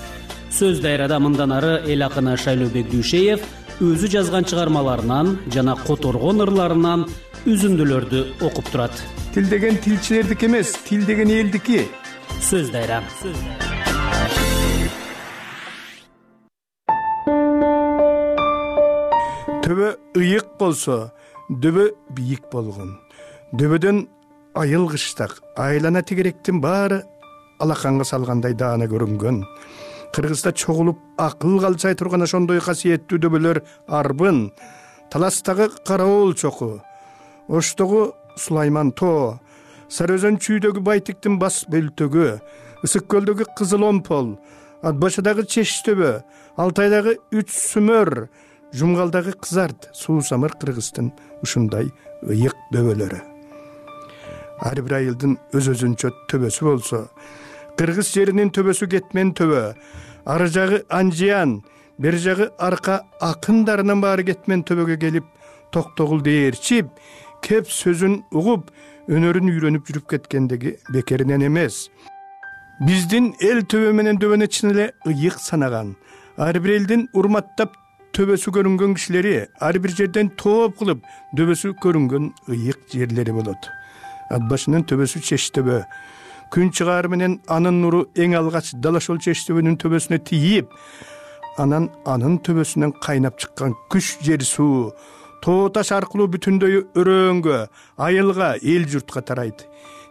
Сөз дайрада мындан ары эл акыны Шайлообек Дүйшеев өзү жазган чыгармаларынан жана которгон ырларынан үзүндүлөрдү окуп турат. Тил деген тилчилердики эмес, тил деген элдики. Сөз дайра. Төбө ыйык болсо, дөбө бийик болгон. Дөбөдөн айыл кыштак, айлана тегеректин баары алаканга салгандай даана көрүнгөн. Кыргызда чогулуп акыл калчай турган ошондой касиеттүү дөбөлөр арбын, Таластагы Караоол чоку, Оштогу Сулайман тоо, Сары Өзөн чүйдөгү Байтиктин бас бөлтөгү, Ысык көлдөгү Кызыл Омпол, Ат башыдагы Чештөбө, Алтайдагы Үч Сүмөр, Жумгалдагы Кызарт, Суусамыр Кыргыздын ушундай ыйык дөбөлөрү. Ар бир айылдын өз-өзүнчө төбөсү болсо, Кыргыз жеринин төбөсү кетмен төбө, ары жагы Анжиян, бер жагы арка акындарынын баары кетмен төбөгө келип, токтогул дээрчип, кеп сөзүн угуп, өнөрүн үйрөнүп жүрүп кеткендеги бекеринен эмес. Биздин эл төбө менен дөбөнү чын эле ыйык санаган. Ар бир элдин урматтап төбөсү көрүнгөн кишилери ар бир жерден топ кылып дөбөсү көрүнгөн ыйык жерлери болот. Ат башынын төбөсү Чештөбө. Күн чыгаар менен анын нуру эң алгач Далашол Чештөбөнүн төбөсүнө тийип, анан анын төбөсүнөн кайнап чыккан күч жер суу тоо таш аркылуу бүтүндөй өрөөнгө, айылга, эл журтка тарайт.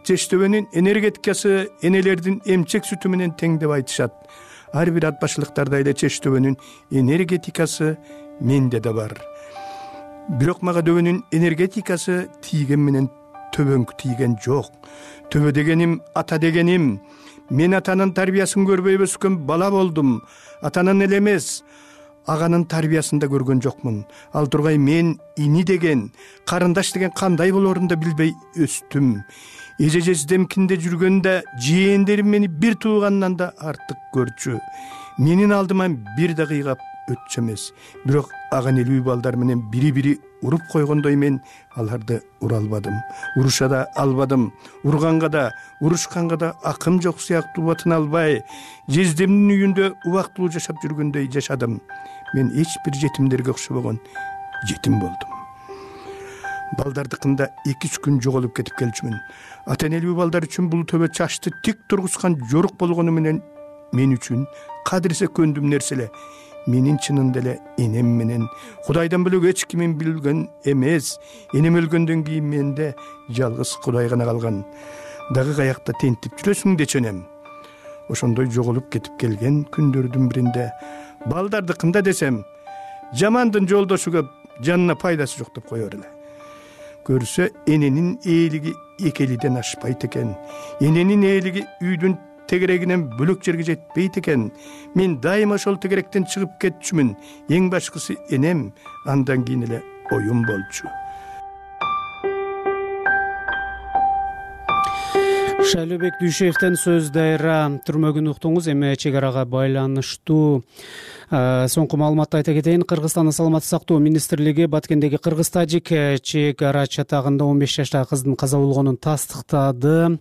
Чештөбөнүн энергетикасы энелердин эмчек сүтү менен тең деп айтышат. Ар бир ат башылыктарда эле Чештөбөнүн энергетикасы менде да бар. Бирок мага дөбөнүн энергетикасы тийген менен төбөңкү тийген жок. Төбө дегеним ата дегеним. Мен атанын тарбиясын көрбөй өскөн бала болдум. Атанын эле эмес, аганын тарбиясын да көргөн жокмун. Ал тургай мен ини деген, карындаш деген кандай болорун да билбей өстүм. Эже жездемкинде жүргөндө жээндерим мени бир туугандан да артык көрчү. Менин алдыма бир да кыйгап өтчү эмес. Бирок ага нелүү балдар менен бири-бири уруп койгондой мен аларды ура албадым. Уруша да албадым. Урганга да, урушканга да акым жок сыяктуу батын албай, жездемдин үйүндө убактылуу жашап жүргөндөй жашадым. Мен эч бир жетимдерге окшобогон жетим болдум. Балдардыкында эки үч күн жоголуп кетип келчүмүн. Ата энелүү балдар үчүн бул төбө чачты тик тургузган жорук болгону менен мен үчүн кадырсе көндүм нерселе. Менин чынында эле энем менен Кудайдан бөлөк эч кимин билген эмес. Энем өлгөндөн кийин менде жалгыз Кудай гана калган. Дагы каякта тентип жүрөсүң деченем. Ошондой жоголуп кетип келген күндөрдүн биринде балдардыкында десем, жамандын жолдошу көп, жанына пайдасы жок деп коёр эле. Көрсө эненин ээлиги экелиден ашпайт экен. Эненин ээлиги үйдүн тегерегинен бөлөк жерге жетпейт экен. Мен дайыма ошол тегеректен чыгып кетчүмүн. Эң башкысы энем, андан кийин эле оюм болчу. Шайлообек Дүйшеевден сөз дайра түрмөгүн уктуңуз. Эми чек арага байланыштуу соңку маалыматты айта кетейин. Кыргызстандын саламаттык сактоо министрлиги Баткендеги кыргыз-тажик чек ара чатагында он беш жаштагы кыздын каза болгонун тастыктады.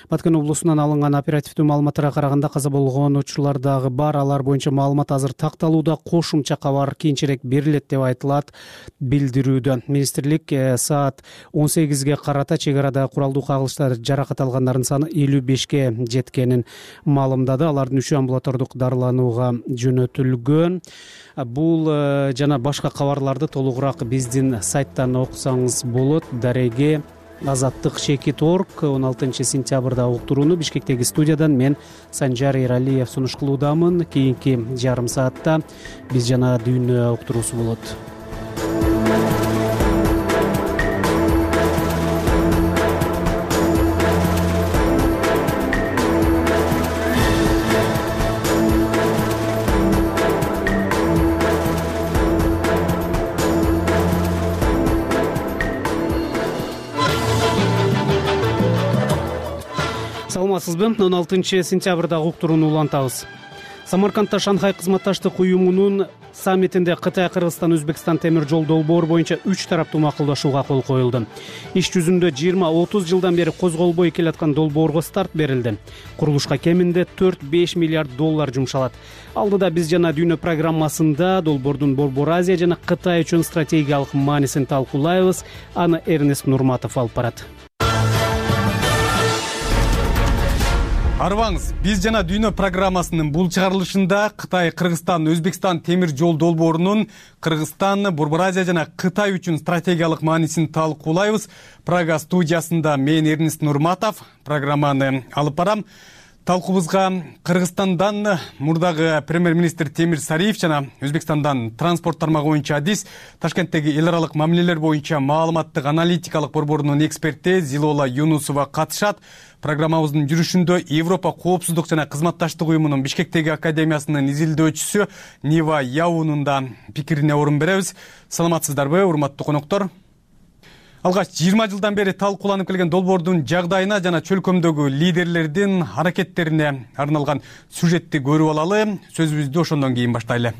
Баткен облусунан алынган оперативдүү маалыматтарга караганда каза болгон учурлар дагы бар. Алар боюнча маалымат азыр такталууда, кошумча кабар кийинчерээк берилет деп айтылат билдирүүдө. Министрлик саат он сегизге карата чек арадагы куралдуу кагылыштар жаракат алгандардын саны элүү бешке жеткенин маалымдады. Алардын үчөө амбулатордук дарыланууга жөнөтүлгөн. түзүлгөн. Бул жана башка кабарларды толугураак биздин сайттан окусаңыз болот. Дареге Азаттык Шекит орг он алтынчы сентябрда уктурууну Бишкектеги студиядан мен Санжар Эралиев сунуш кылуудамын. Кийинки жарым саатта биз жана дүйнө уктуруусу болот. Саламатсызбы? он алтынчы сентябрдагы уктурууну улантабыз. Самаркандда Шанхай кызматташтык уюмунун саммитинде Кытай, Кыргызстан, Өзбекстан темир жол долбоору боюнча үч тараптуу макулдашууга кол коюлду. Иш жүзүндө жыйырма отуз жылдан бери козголбой келаткан долбоорго старт берилди. Курулушка кеминде төрт беш миллиард доллар жумшалат. Алдыда биз жана дүйнө программасында долбоордун Борбор Азия жана Кытай үчүн стратегиялык маанисин талкуулайбыз. Аны Эрнест Нурматов алып барат. Арыбаңыз, биз жана дүйнө программасынын бул чыгарылышында Кытай, Кыргызстан, Өзбекстан темир жол долбоорунун Кыргызстан, Борбор Азия жана Кытай үчүн стратегиялык маанисин талкуулайбыз. Прага студиясында мен Эрнест Нурматов программаны алып барам. Талкуубузга Кыргызстандан мурдагы премьер-министр Темир Сариев жана Өзбекстандан транспорт тармагы боюнча адис, Ташкенттеги эл аралык мамилелер боюнча маалыматтык аналитикалык борборунун эксперти Зилола Юнусова катышат. Программабыздын жүрүшүндө Европа коопсуздук жана кызматташтык уюмунун Бишкектеги академиясынын изилдөөчүсү Нива Яунун да пикирине орун беребиз. Саламатсыздарбы, урматтуу коноктор? Алгач жыйырма жылдан бери талкууланып келген долбоордун жагдайына жана чөлкөмдөгү лидерлердин аракеттерине арналган сюжетти көрүп алалы. Сөзүбүздү ошондон кийин баштайлы.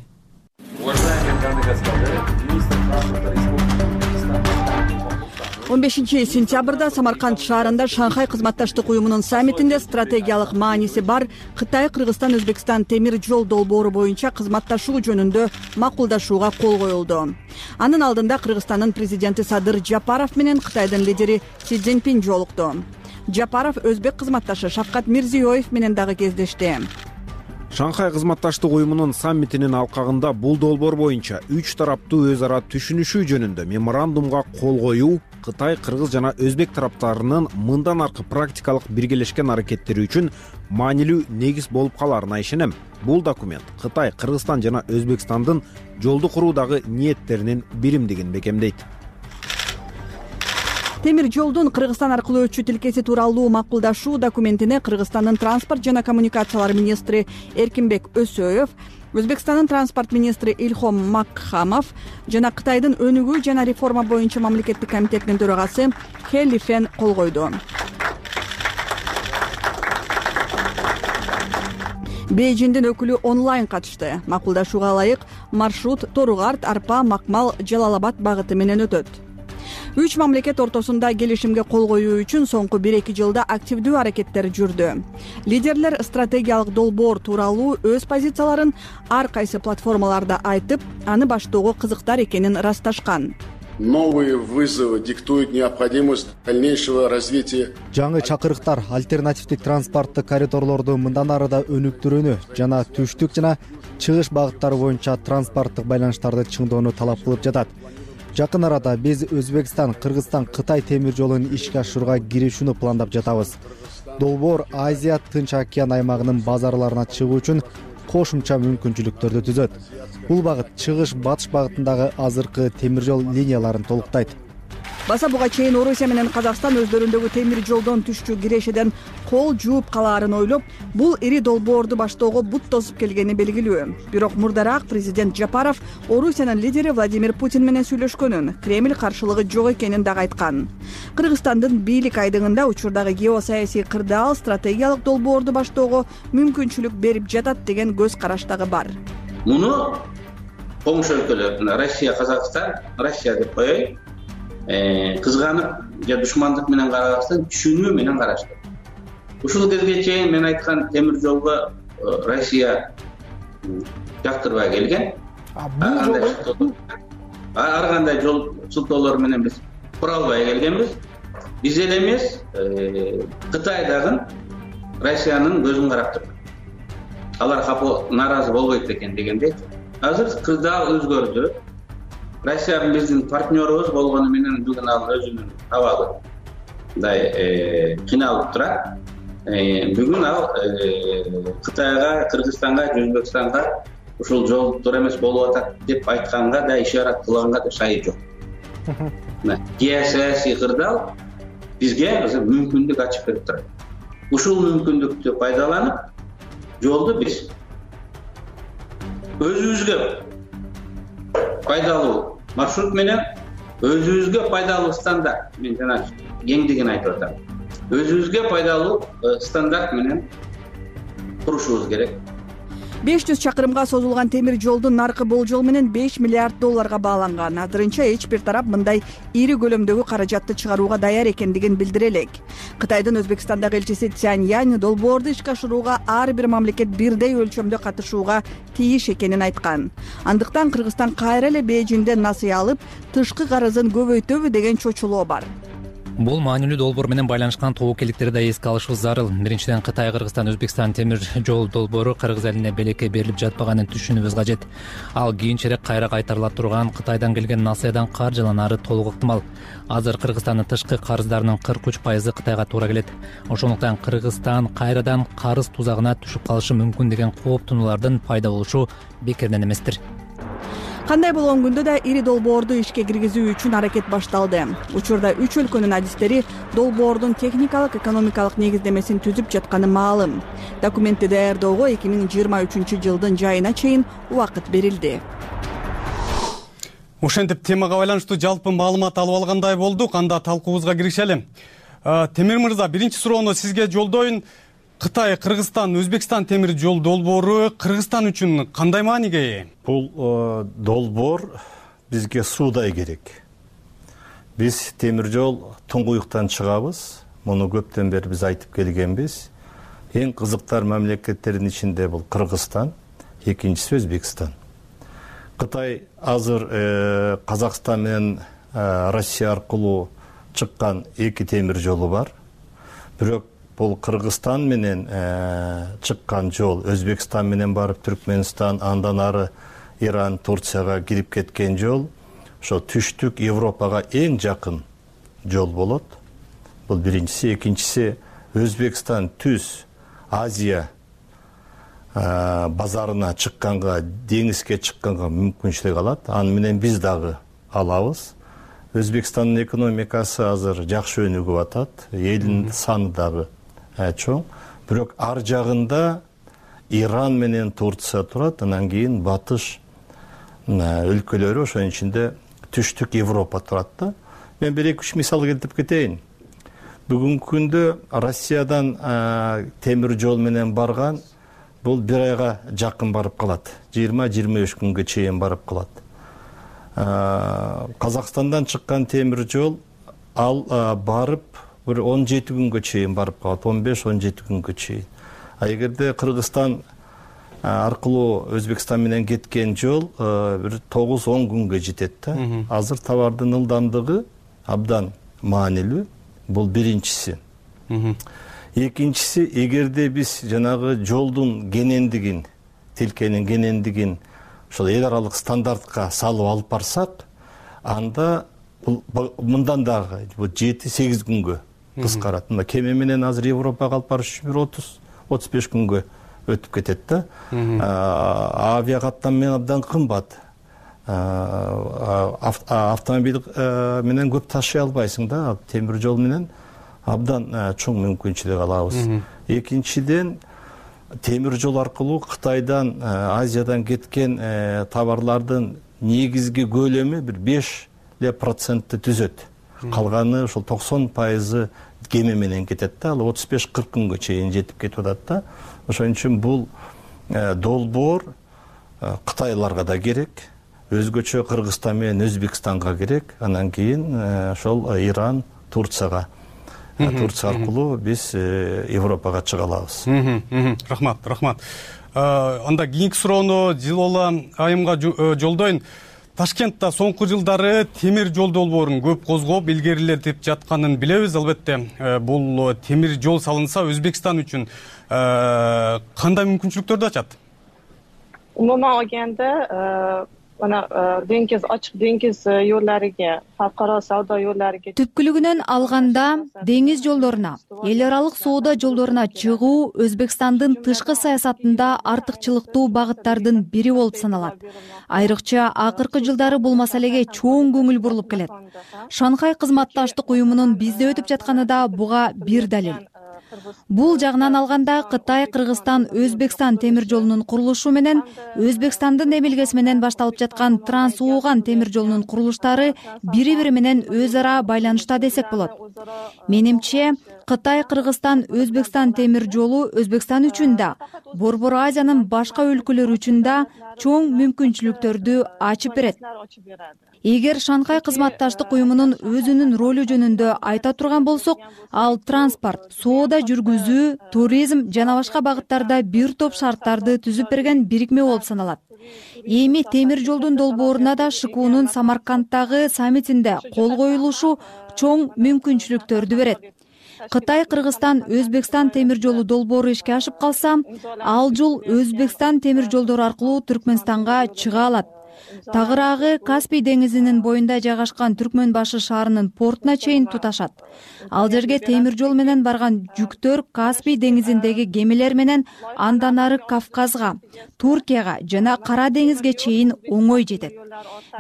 он бешинчи сентябрда Самарканд шаарында Шанхай кызматташтык уюмунун саммитинде стратегиялык мааниси бар Кытай, Кыргызстан, Өзбекстан темир жол долбоору боюнча кызматташуу жөнүндө макулдашууга кол коюлду. Анын алдында Кыргызстандын президенти Садыр Жапаров менен Кытайдын лидери Си Цзиньпин жолукту. Жапаров өзбек кызматташы Шавкат Мирзиёев менен дагы кездешти. Шанхай кызматташтык уюмунун саммитинин алкагында бул долбоор боюнча үч тараптуу өз ара түшүнүшүү жөнүндө меморандумга кол коюу Кытай, Кыргыз жана Өзбек тараптарынын мындан аркы практикалык биргелешкен аракеттери үчүн маанилүү негиз болуп каларына ишенем. Бул документ Кытай, Кыргызстан жана Өзбекстандын жолду куруудагы ниеттеринин биримдигин бекемдейт. Темир жолдун Кыргызстан аркылуу өтчү тилкеси тууралуу макулдашуу документине Кыргызстандын транспорт жана коммуникациялар министри Эркинбек Өсөев, Өзбекстандын транспорт министри Илхом Макхамов жана Кытайдын өнүгүү жана реформа боюнча мамлекеттик комитетинин төрагасы Хэ Лифен кол койду. Бейжиңдин өкүлү онлайн катышты. Макулдашууга ылайык маршрут Торугарт, Арпа, Макмал, Жалал-Абад багыты менен өтөт. Үч мамлекет ортосунда келишимге кол коюу үчүн соңку бир эки жылда активдүү аракеттер жүрдү. Лидерлер стратегиялык долбоор тууралуу өз позицияларын ар кайсы платформаларда айтып, аны баштоого кызыктар экенин ырасташкан. Новые вызовы диктуют необходимость дальнейшего развития. Жаңы чакырыктар альтернативдик транспорттук коридорлорду мындан ары да өнүктүрүүнү жана түштүк жана чыгыш багыттары боюнча транспорттук байланыштарды чыңдоону талап кылып жатат. Жакын арада биз Өзбекстан, Кыргызстан, Кытай темир жолун ишке ашырууга киришүүнү пландап жатабыз. Долбоор Азия, Тынч океан аймагынын базарларына чыгуу үчүн кошумча мүмкүнчүлүктөрдү түзөт. Бул багыт чыгыш-батыш багытындагы азыркы темир жол линияларын толуктайт. Баса буга чейин Орусия менен Казакстан өздөрүндөгү темир жолдон түшчү кирешеден кол жууп калаарын ойлоп, бул ири долбоорду баштоого бут тосуп келгени белгилүү. Бирок мурдараак президент Жапаров Орусиянын лидери Владимир Путин менен сүйлөшкөнүн, Кремль каршылыгы жок экенин дагы айткан. Кыргызстандын бийлик айдыгында учурдагы геосаясий кырдаал стратегиялык долбоорду баштоого мүмкүнчүлүк берип жатат деген көз караш дагы бар. Муну коңшу өлкөлөр Россия, Казакстан, Россия деп коеюн, кызганып же душмандык менен карабастан түшүнүү менен карашты. Ушул кезге чейин мен айткан темир жолго Россия жактырбай келген. Ар кандай жол сылтоолор менен биз кура албай келгенбиз. Биз эле эмес, Кытай дагы Россиянын көзүн карап турду. Алар капы нааразы болбойт экен дегенде. азыр кырдаал өзгөрдү. Россия биздин партнерубуз болгону менен бүгүн ал өзүнүн абалы мындай кыйналып турат. Бүгүн ал Кытайга, Кыргызстанга, Өзбекстанга ушул жол туура эмес болуп атат деп айтканга да, ишарат кылганга да шайы жок. Геосаясий кырдаал бизге азыр мүмкүндүк ачып берип турат. Ушул мүмкүндүктү пайдаланып, жолду биз өзүбүзгө пайдалуу маршрут менен, өзүбүзгө пайдалуу стандарт, мен жана кеңдигин айтып атам. Өзүбүзгө пайдалуу стандарт менен курушубуз керек. беш жүз чакырымга созулган темир жолдун наркы болжол менен беш миллиард долларга бааланган. Азырынча эч бир тарап мындай ири көлөмдөгү каражатты чыгарууга даяр экендигин билдире элек. Кытайдын Өзбекстандагы элчиси Цянь долбоорду ишке ашырууга ар бир мамлекет бирдей өлчөмдө катышууга тийиш экенин айткан. Андыктан Кыргызстан кайра эле Бейжиңден насыя алып, тышкы карызын көбөйтөбү деген чочулоо бар. Бул маанилүү долбоор менен байланышкан тобокелдиктерди да эске алышыбыз зарыл. Биринчиден, Кытай, Кыргызстан, Өзбекстан темир жол долбоору Кыргыз элине белекке берилип жатпаганын түшүнүүбүз кажет. Ал кийинчерээк кайра кайтарыла турган Кытайдан келген насыядан каржыланары толук ыктымал. Азыр Кыргызстандын тышкы карыздарынын кырк үч пайызы Кытайга туура келет. Ошондуктан Кыргызстан кайрадан карыз тузагына түшүп калышы мүмкүн деген кооптонуулардын пайда болушу бекерден эместир. Кандай болгон күндө да ири долбоорду ишке киргизүү үчүн аракет башталды. Учурда үч өлкөнүн адистери долбоордун техникалык, экономикалык негиздемесин түзүп жатканы маалым. Документти даярдоого эки миң жыйырма үчүнчү жылдын жайына чейин убакыт берилди. Ошентип темага байланыштуу жалпы маалымат алып алгандай болдук. Анда талкуубузга киришели. Темир мырза, биринчи суроону сизге жолдоюн. Кытай, Кыргызстан, Өзбекстан темир жол долбоору Кыргызстан үчүн кандай мааниге ээ? Бул долбоор бизге суудай керек. Биз темир жол туңгуюктан чыгабыз. Муну көптөн бери биз айтып келгенбиз. Эң кызыктар мамлекеттердин ичинде бул Кыргызстан, экинчиси Өзбекстан. Кытай азыр Казакстан менен Россия аркылуу чыккан эки темир жолу бар. Бирок бул Кыргызстан менен чыккан жол, Өзбекстан менен барып Түркмөнстан, андан ары Иран, Турцияга кирип кеткен жол, ошо түштүк Европага эң жакын жол болот. Бул биринчиси, экинчиси Өзбекстан түз Азия базарына чыкканга, деңизге чыкканга мүмкүнчүлүк алат. Аны менен биз дагы алабыз. Өзбекстандын экономикасы азыр жакшы өнүгүп атат, элдин саны дагы чоң. Бирок ар жагында Иран менен Турция турат, анан кийин батыш өлкөлөрү, ошонун ичинде түштүк Европа турат да. Мен бир эки үч мисал келтирип кетейин. Бүгүнкү күндө Россиядан темир жол менен барган бул бир айга жакын барып калат. жыйырма жыйырма үч күнгө чейин барып калат. Казакстандан чыккан темир жол ал барып бир он жети күнгө чейин барып калат, он беш он жети күнгө чейин. А эгерде Кыргызстан аркылуу Өзбекстан менен кеткен жол бир тогуз он күнгө жетет да. Азыр товардын ылдамдыгы абдан маанилүү. Бул биринчиси. Экинчиси, эгерде биз жанагы жолдун кенендигин, тилкенин кенендигин ошол эл аралык стандартка салып алып барсак, анда мындан дагы жети сегиз күнгө кыскарат. Мына кеме менен азыр Европага алып барыш үчүн бир отуз отуз беш күнгө өтүп кетет да. Авиа каттам менен абдан кымбат. Автомобиль менен көп ташый албайсың да, темир жол менен абдан чоң мүмкүнчүлүк алабыз. Экинчиден, темир жол аркылуу Кытайдан, Азиядан кеткен товарлардын негизги көлөмү бир беш процентти түзөт. Калганы ошол токсон пайызы кеме менен кетет да, ал отуз беш кырк күнгө чейин жетип кетип атат да. Ошон үчүн бул долбоор Кытайларга да керек, өзгөчө Кыргызстан менен Өзбекстанга керек, анан кийин ошол Иран, Турцияга Турция аркылуу биз Европага чыга алабыз. Рахмат, рахмат. Анда кийинки суроону Жылола айымга жолдоюн. Ташкентте соңку жылдары темир жол долбоорун көп козгоп, илгерилетип жатканын билебиз. Албетте, бул темир жол салынса Өзбекстан үчүн кандай мүмкүнчүлүктөрдү ачат? umuman olganda mana dengiz ochiq dengiz yo'llariga, xalqaro savdo yo'llariga түпкүлүгүнөн алганда деңиз жолдоруна, эл аралык соода жолдоруна чыгуу Өзбекстандын тышкы саясатында артыкчылыктуу багыттардын бири болуп саналат. Айрыкча акыркы жылдары бул маселеге чоң көңүл бурулуп келет. Шанхай кызматташтык уюмунун бизде өтүп жатканы да буга бир далил. Бул жагынан алганда Кытай Кыргызстан Өзбекстан темир жолунун курулушу менен Өзбекстандын эмилгеси менен башталып жаткан Транс-Ууган темир жолунун курулуштары бири-бири менен өз ара байланышта десек болот. Менимче, Кытай Кыргызстан Өзбекстан темир жолу Өзбекстан үчүн да, Борбор Азиянын башка өлкөлөрү үчүн да чоң мүмкүнчүлүктөрдү ачып берет. Эгер Шанхай кызматташтык уюмунун өзүнүн ролу жөнүндө айта турган болсок, ал транспорт, соода жүргүзүү, туризм жана башка багыттарда бир топ шарттарды түзүп берген бирикме болуп саналат. Эми темир жолдун долбооруна да ШКУнун Самарканддагы саммитинде кол коюлушу чоң мүмкүнчүлүктөрдү берет. Кытай Кыргызстан Өзбекстан темир жолу долбоору ишке ашып калса, ал жол Өзбекстан темир жолдору аркылуу Түркмөнстанга чыга алат. Тагыраагы Каспий деңизинин боюнда жайгашкан Түркмөнбашы шаарынын портуна чейин туташат. Ал жерге темир жол менен барган жүктөр Каспий деңизиндеги кемелер менен андан ары Кавказга, Туркияга жана Кара деңизге чейин оңой жетет.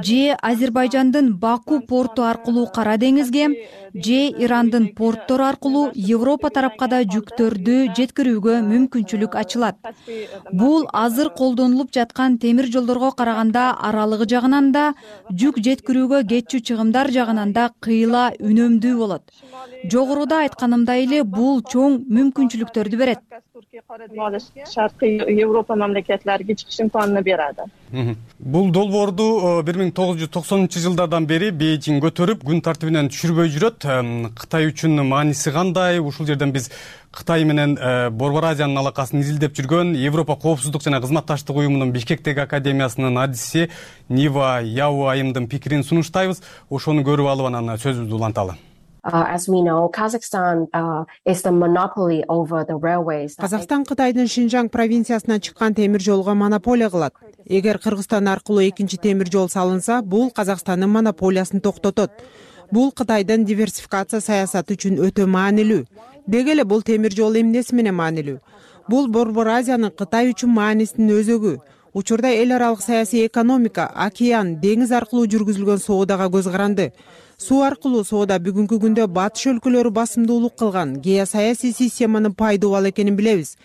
Же Азербайжандын Баку порту аркылуу Кара деңизге, же Ирандын порттору аркылуу Европа тарапка да жүктөрдү жеткирүүгө мүмкүнчүлүк ачылат. Бул азыр колдонулуп жаткан темир жолдорго караганда аралыгы жагынан да, жүк жеткирүүгө кетчү чыгымдар жагынан да кыйла үнөмдүү болот. Жогоруда айтканымдай эле бул чоң мүмкүнчүлүктөрдү берет. Шаркы Европа мамлекетлерге чыгыш имканын берadi. Бул долбоорду бир миң тогуз жүз токсонунчу жылдардан бери Бейжиң көтөрүп, күн тартибинен түшүрбөй жүрөт. Кытай үчүн мааниси кандай? Ушул жерден биз Кытай менен Борбор Азиянын алакасын изилдеп жүргөн Европа коопсуздук жана кызматташтык уюмунун Бишкектеги академиясынын адиси Нива Яу айымдын пикирин сунуштайбыз. Ошону көрүп алып анан сөзүбүздү уланталы. As we know, Kazakhstan uh, is the monopoly over the railways. Казакстан Кытайдын Шинжаң провинциясынан чыккан темир жолго монополия кылат. Эгер Кыргызстан аркылуу экинчи темир жол салынса, бул Казакстандын монополиясын токтотот. Бул Кытайдын диверсификация саясаты үчүн өтө маанилүү. Деги эле бул темир жол эмнеси менен маанилүү? Бул Борбор Азиянын Кытай үчүн маанисинин өзөгү. Учурда эл аралык саясий экономика, океан, деңиз аркылуу жүргүзүлгөн соодага көз каранды. Суу аркылуу соода бүгүнкү күндө батыш өлкөлөрү басымдуулук кылган геосаясий системанын пайдубал экенин билебиз.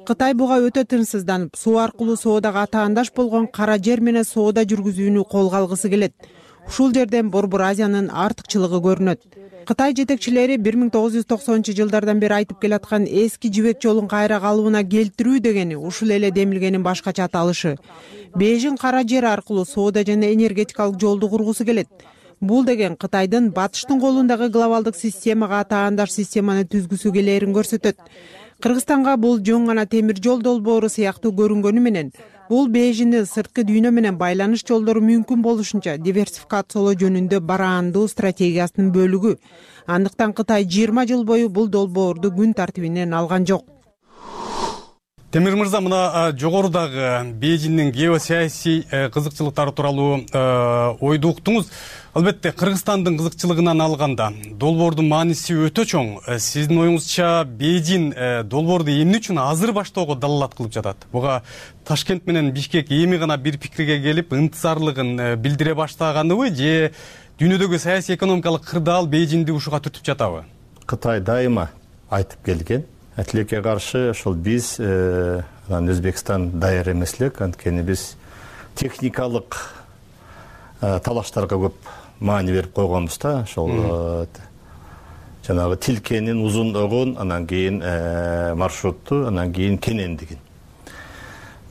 Кытай буга өтө тынчсызданып, суу аркылуу соодага атаандаш болгон Кара жер менен соода жүргүзүүнү колго алгысы келет. Ушул жерден Борбор Азиянын артыкчылыгы көрүнөт. Кытай жетекчилери бир миң тогуз жүз токсонунчу жылдардан бери айтып келаткан эски жибек жолун кайра калыбына келтирүү дегени ушул эле демилгенин башкача аталышы. Бейжиң Кара жер аркылуу соода жана энергетикалык жолду кургусу келет. Бул деген Кытайдын батыштын колундагы глобалдык системага атаандаш системаны түзгүсү келээрин көрсөтөт. Кыргызстанга бул жөн гана темир жол долбоору сыяктуу көрүнгөнү менен, бул Бейжиңдин сырткы дүйнө менен байланыш жолдору мүмкүн болушунча диверсификациялоо жөнүндө бараандуу стратегиясынын бөлүгү. Андыктан Кытай жыйырма жыл бою бул долбоорду күн тартибинен алган жок. Темир мырза, мына жогорудагы Бейжиңдин геосаясий кызыкчылыктары тууралуу ойду уктуңуз. Албетте, Кыргызстандын кызыкчылыгынан алганда долбоордун мааниси өтө чоң. Сиздин оюңузча Бейжиң долбоорду эмне үчүн азыр баштоого далалат кылып жатат? Буга Ташкент менен Бишкек эми гана бир пикирге келип, ынтызарлыгын билдире баштаганыбы, же дүйнөдөгү саясий экономикалык кырдаал Бейжиңди ушуга түртүп жатабы? Кытай дайыма айтып келген. Тилекке каршы ошол биз Өзбекстан даяр эмес элек, анткени биз техникалык талаштарга көп маани берип койгонбуз да. Ошол жанагы тилкенин узундугун, анан кийин маршрутту, анан кийин кенендигин.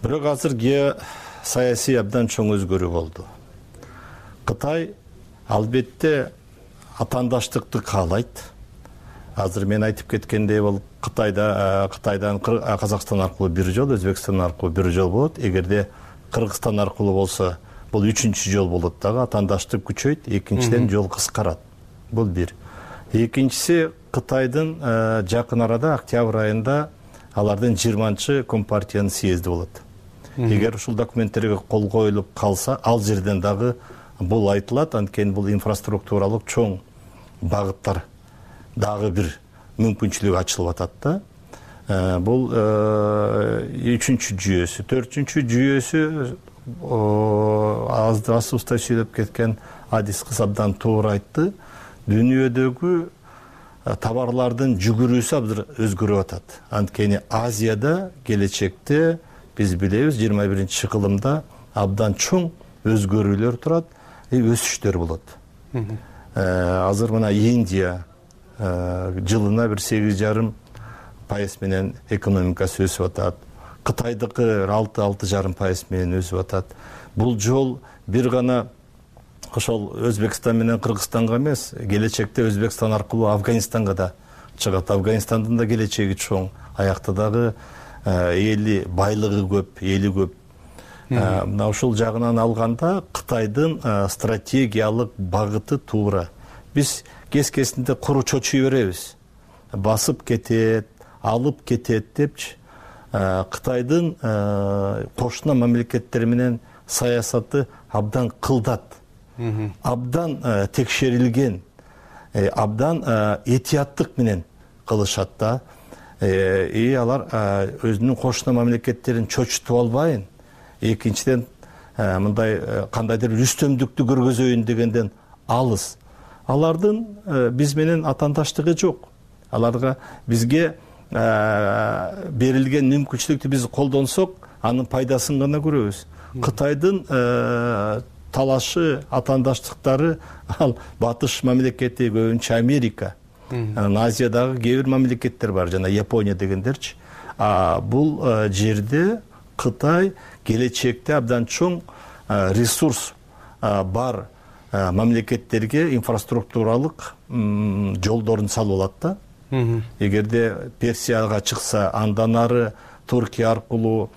Бирок азыр геосаясий абдан чоң өзгөрүү болду. Кытай албетте атаандаштыкты каалайт. Азыр мен айтып кеткендей болуп, Кытайда Кытайдан Казакстан аркылуу бир жол, Өзбекстан аркылуу бир жол болот. Эгерде Кыргызстан аркылуу болсо, бул үчүнчү жол болот дагы. Атаандаштык күчөйт, экинчиден жол кыскарат. Бул бир. Экинчиси, Кытайдын жакын арада октябрь айында алардын жыйырманчы компартиянын съезди болот. эгер ушул документтерге кол коюлуп калса, ал жерден дагы бул айтылат. Анткени бул инфраструктуралык чоң багыттар дагы бир мүмкүнчүлүк ачылып атат да. Бул үчүнчү жүйөсү. Төртүнчү жүйөсү азды-азыбызда сүйлөп кеткен Адис кыз абдан туура айтты. Дүйнөдөгү товарлардын жүгүрүүсү абдан өзгөрүп атат. Анткени Азияда келечекте биз билебиз жыйырма биринчи кылымда абдан чоң өзгөрүүлөр турат, өсүштөр болот. Азыр мына Индия жылына бир сегиз жарым пайыз менен экономикасы өсүп атат. Кытайдыкы алты алты жарым пайыз менен өсүп атат. Бул жол бир гана ошол Өзбекстан менен Кыргызстанга эмес, келечекте Өзбекстан аркылуу Афганистанга да чыгат. Афганистандын да келечеги чоң. Аякта дагы эли байлыгы көп, эли көп. Мына ушул жагынан алганда Кытайдын стратегиялык багыты туура. Биз кез-кезинде куру чочуй беребиз. Басып кетет, алып кетет депчи. Кытайдын кошуна мамлекеттер менен саясаты абдан кылдат. Абдан текшерилген, абдан этияттык менен кылышат да. И алар өзүнүн кошуна мамлекеттерин чочутуп албайын. Экинчиден мындай кандайдыр үстөмдүктү көргөзөйүн дегенден алыс. Алардын биз менен атаандаштыгы жок. Аларга бизге берилген мүмкүнчүлүктү биз колдонсок, анын пайдасын гана көрөбүз. Кытайдын талашы, атаандаштыктары ал батыш мамлекети, көбүнчө Америка. Азиядагы кээ бир мамлекеттер бар, жана Япония дегендерчи. Бул жерде Кытай келечекте абдан чоң ресурс бар мамлекеттерге инфраструктуралык жолдорун салып алат да. Эгерде Персияга чыкса, андан ары Туркия аркылуу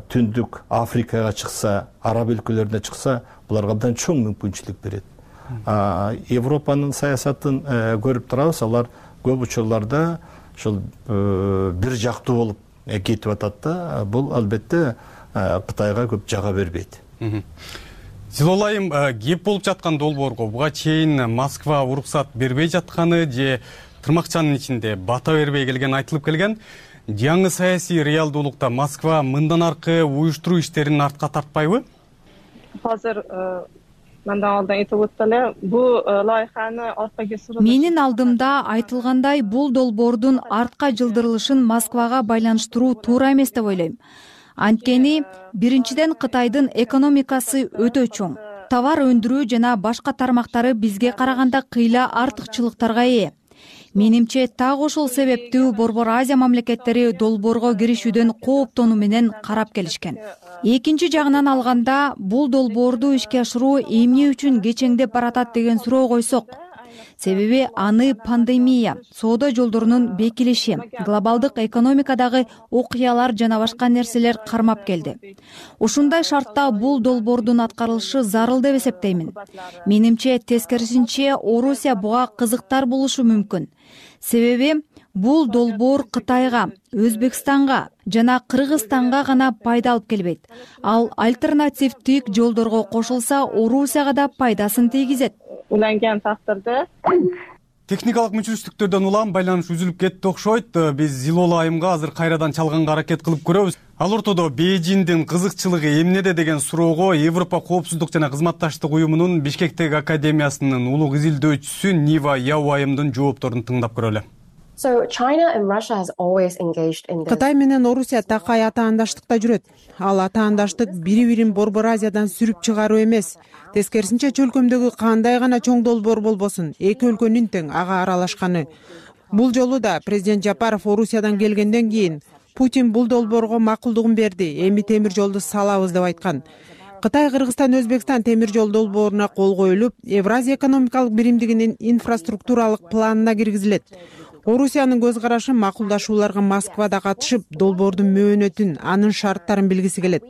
Түндүк Африкага чыкса, араб өлкөлөрүнө чыкса, буларга абдан чоң мүмкүнчүлүк берет. Европанын саясатын көрүп турабыз, алар көп учурларда ушул бир жактуу болуп кетип атат да. Бул албетте Кытайга көп жага бербейт. Зилолайым, кеп болуп жаткан долбоорго буга чейин Москва уруксат бербей жатканы же тырмакчанын ичинде бата бербей келген айтылып келген. Жаңы саясий реалдуулукта Москва мындан аркы уюштуруу иштерин артка тартпайбы? Азыр мындан алдан айтып өттү эле, бул лайыханы аркага сурулуш. Менин алдымда айтылгандай, бул долбоордун артка жылдырылышын Москвага байланыштыруу туура эмес деп ойлойм. Анткени биринчиден Кытайдын экономикасы өтө чоң. Товар өндүрүү жана башка тармактары бизге караганда кыйла артыкчылыктарга ээ. Менимче так ошол себептүү Борбор Азия мамлекеттери долбоорго киришүүдөн кооптонуу менен карап келишкен. Экинчи жагынан алганда, бул долбоорду ишке ашыруу эмне үчүн кечеңдеп баратат деген суроо койсок, себеби аны пандемия, соода жолдорунун бекилиши, глобалдык экономикадагы окуялар жана башка нерселер кармап келди. Ушундай шартта бул долбоордун аткарылышы зарыл деп эсептеймин. Менимче тескерисинче Орусия буга кызыктар болушу мүмкүн. Себеби бул долбоор Кытайга, Өзбекстанга жана Кыргызстанга гана пайда алып келбейт. Ал альтернативдик жолдорго кошулса, Орусияга да пайдасын тийгизет. Уланган тактырда техникалык мүчүрүштүктөрдөн улам байланыш үзүлүп кетти окшойт. Биз Зилола айымга азыр кайрадан чалганга аракет кылып көрөбүз. Ал ортодо Бейжиңдин кызыкчылыгы эмнеде деген суроого Европа коопсуздук жана кызматташтык уюмунун Бишкектеги академиясынын улуг изилдөөчүсү Нива Яу айымдын жоопторун тыңдап көрөлү. Кытай менен Орусия такай атаандаштыкта жүрөт. Ал атаандаштык бири-бирин Борбор Азиядан сүрүп чыгаруу эмес. Тескерисинче чөлкөмдөгү кандай гана чоң долбоор болбосун, эки өлкөнүн тең ага аралашканы. Бул жолу да президент Жапаров Орусиядан келгенден кийин Путин бул долбоорго макулдугун берди, эми темир жолду салабыз деп айткан. Кытай, Кыргызстан, Өзбекстан темир жол долбооруна кол коюлуп, Евразия экономикалык биримдигинин инфраструктуралык планына киргизилет. Орусиянын көз карашы макулдашууларга Москвада катышып, долбоордун мөөнөтүн, анын шарттарын билгиси келет.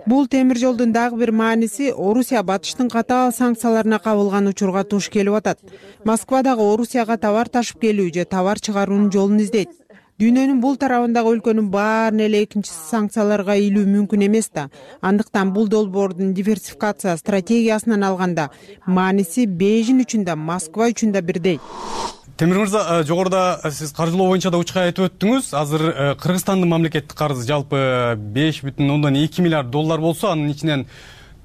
Бул темир жолдун дагы бир мааниси Орусия батыштын катаал санкцияларына кабылган учурга туш келип атат. Москва дагы Орусияга товар ташып келүү же товар чыгаруунун жолун издейт. дүйнөнүн бул тарабындагы өлкөнүн баарын эле экинчи санкцияларга илүү мүмкүн эмес да. Андыктан бул долбоордун диверсификация стратегиясынан алганда мааниси Бейжин үчүн да, Москва үчүн да бирдей. Темир мырза, жогоруда сиз каржылоо боюнча да учка айтып өттүңүз. Азыр Кыргызстандын мамлекеттик карызы жалпы беш бүтүн ондон эки миллиард доллар болсо, анын ичинен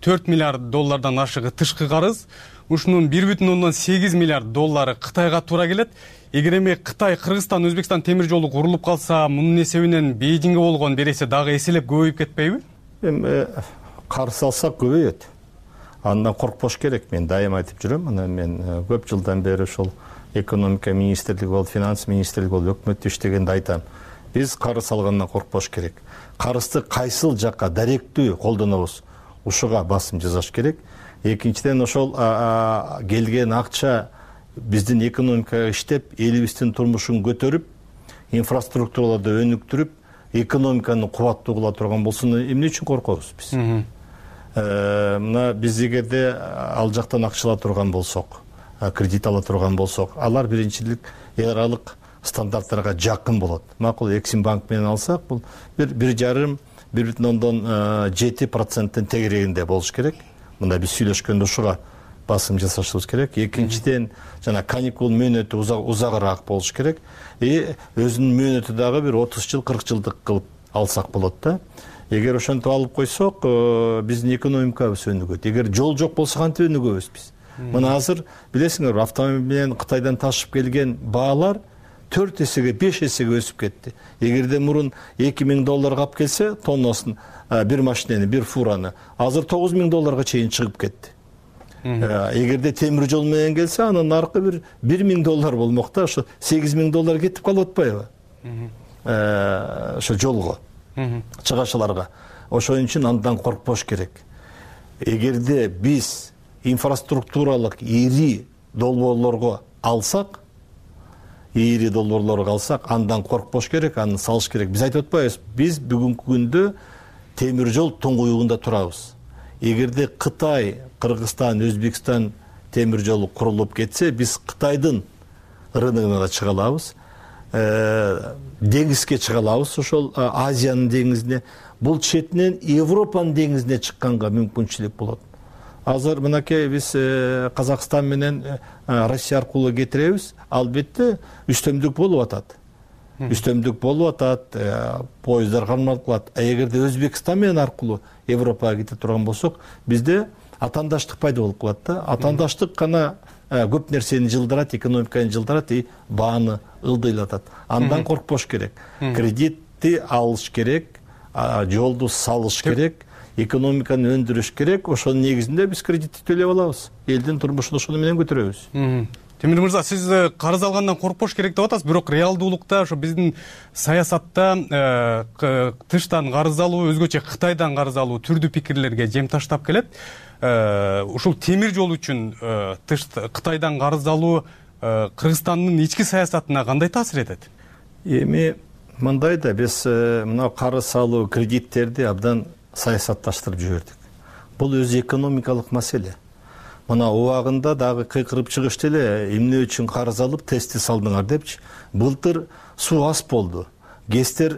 төрт миллиард доллардан ашыгы тышкы карыз. Ушунун бир бүтүн ондон сегиз миллиард доллары Кытайга туура келет. Эгер эми Кытай, Кыргызстан, Өзбекстан темир жолу курулуп калса, мунун эсебинен Бейжиңге болгон береси дагы эселеп көбөйүп кетпейби? Эми карыз алсак көбөйөт. Андан коркпош керек. Мен дайым айтып жүрөм. Мына мен көп жылдан бери ошол экономика министрлиги болуп, финанс министрлиги болуп, өкмөттө иштегенде айтам. Биз карыз алгандан коркпош керек. Карызды кайсыл жакка даректүү колдонобуз, ушуга басым жасаш керек. Экинчиден, ошол келген акча биздин экономикага иштеп, элибиздин турмушун көтөрүп, инфраструктураларды өнүктүрүп, экономиканы кубаттуу кыла турган болсо, эмне үчүн коркобуз биз? Мына биз эгерде ал жактан акча ала турган болсок, кредит ала турган болсок, алар биринчилик эл аралык стандарттарга жакын болот. Макул, Эксим банк менен алсак, бул бир жарым, бир бүтүн ондон жети проценттин тегерегинде болуш керек. Мында биз сүйлөшкөндө ушуга басым жасашыбыз керек. Экинчиден, жана каникул мөөнөтү узагыраак болуш керек. И өзүнүн мөөнөтү дагы бир отуз жыл, кырк жылдык кылып алсак болот да. Эгер ошентип алып койсок, биздин экономикабыз өнүгөт. Эгер жол жок болсо кантип өнүгөбүз биз? Мына азыр билесиңер, автомобиль менен Кытайдан ташып келген баалар төрт эсеге, беш эсеге өсүп кетти. Эгерде мурун эки миң долларга алып келсе, тоннасын бир машинени, бир фураны, азыр тогуз миң долларга чейин чыгып кетти. Эгерде темир жол менен келсе, анын наркы бир бир миң доллар болмок да, ошо сегиз миң доллар кетип калып атпайбы? Ошо жолго, чыгашаларга. Ошон үчүн андан коркпош керек. Эгерде биз инфраструктуралык ири долбоорлорго алсак, ири долбоорлорго алсак, андан коркпош керек, аны салыш керек. Биз айтып атпайбыз, биз бүгүнкү күндө темир жол туңгуюгунда турабыз. Эгерде Кытай, Кыргызстан, Өзбекстан темир жолу курулуп кетсе, биз Кытайдын рыногуна да чыга алабыз, деңизге чыга алабыз, ошол Азиянын деңизине, бул четинен Европанын деңизине чыкканга мүмкүнчүлүк болот. Азыр мынакей биз Казакстан менен Россия аркылуу кетиребиз, албетте үстөмдүк болуп атат. Үстөмдүк болуп атат, поездар кармалып калат. А эгерде Өзбекстан менен аркылуу Европага кете турган болсок, бизде атаандаштык пайда болуп калат да. Атаандаштык гана көп нерсени жылдырат, экономиканы жылдырат и бааны ылдыйлатат. Андан коркпош керек. Кредитти алыш керек, жолду салыш керек, экономиканы өндүрүш керек. Ошонун негизинде биз кредитти төлөп алабыз. Элдин турмушун ошону менен көтөрөбүз. Темир мырза, сиз карыз алгандан коркпош керек деп атасыз, бирок реалдуулукта ошо биздин саясатта тыштан карыз алуу, өзгөчө Кытайдан карыз алуу түрдүү пикирлерге жем таштап келет. Ушул темир жол үчүн Кытайдан карыз алуу Кыргызстандын ички саясатына кандай таасир этет? Эми мындай да, биз мына карыз алуу, кредиттерди абдан саясатташтырып жибердик. Бул өзү экономикалык маселе. Мына убагында дагы кыйкырып чыгышты эле, эмне үчүн карыз алып тести салдыңар депчи. Былтыр суу аз болду. ГЭСтер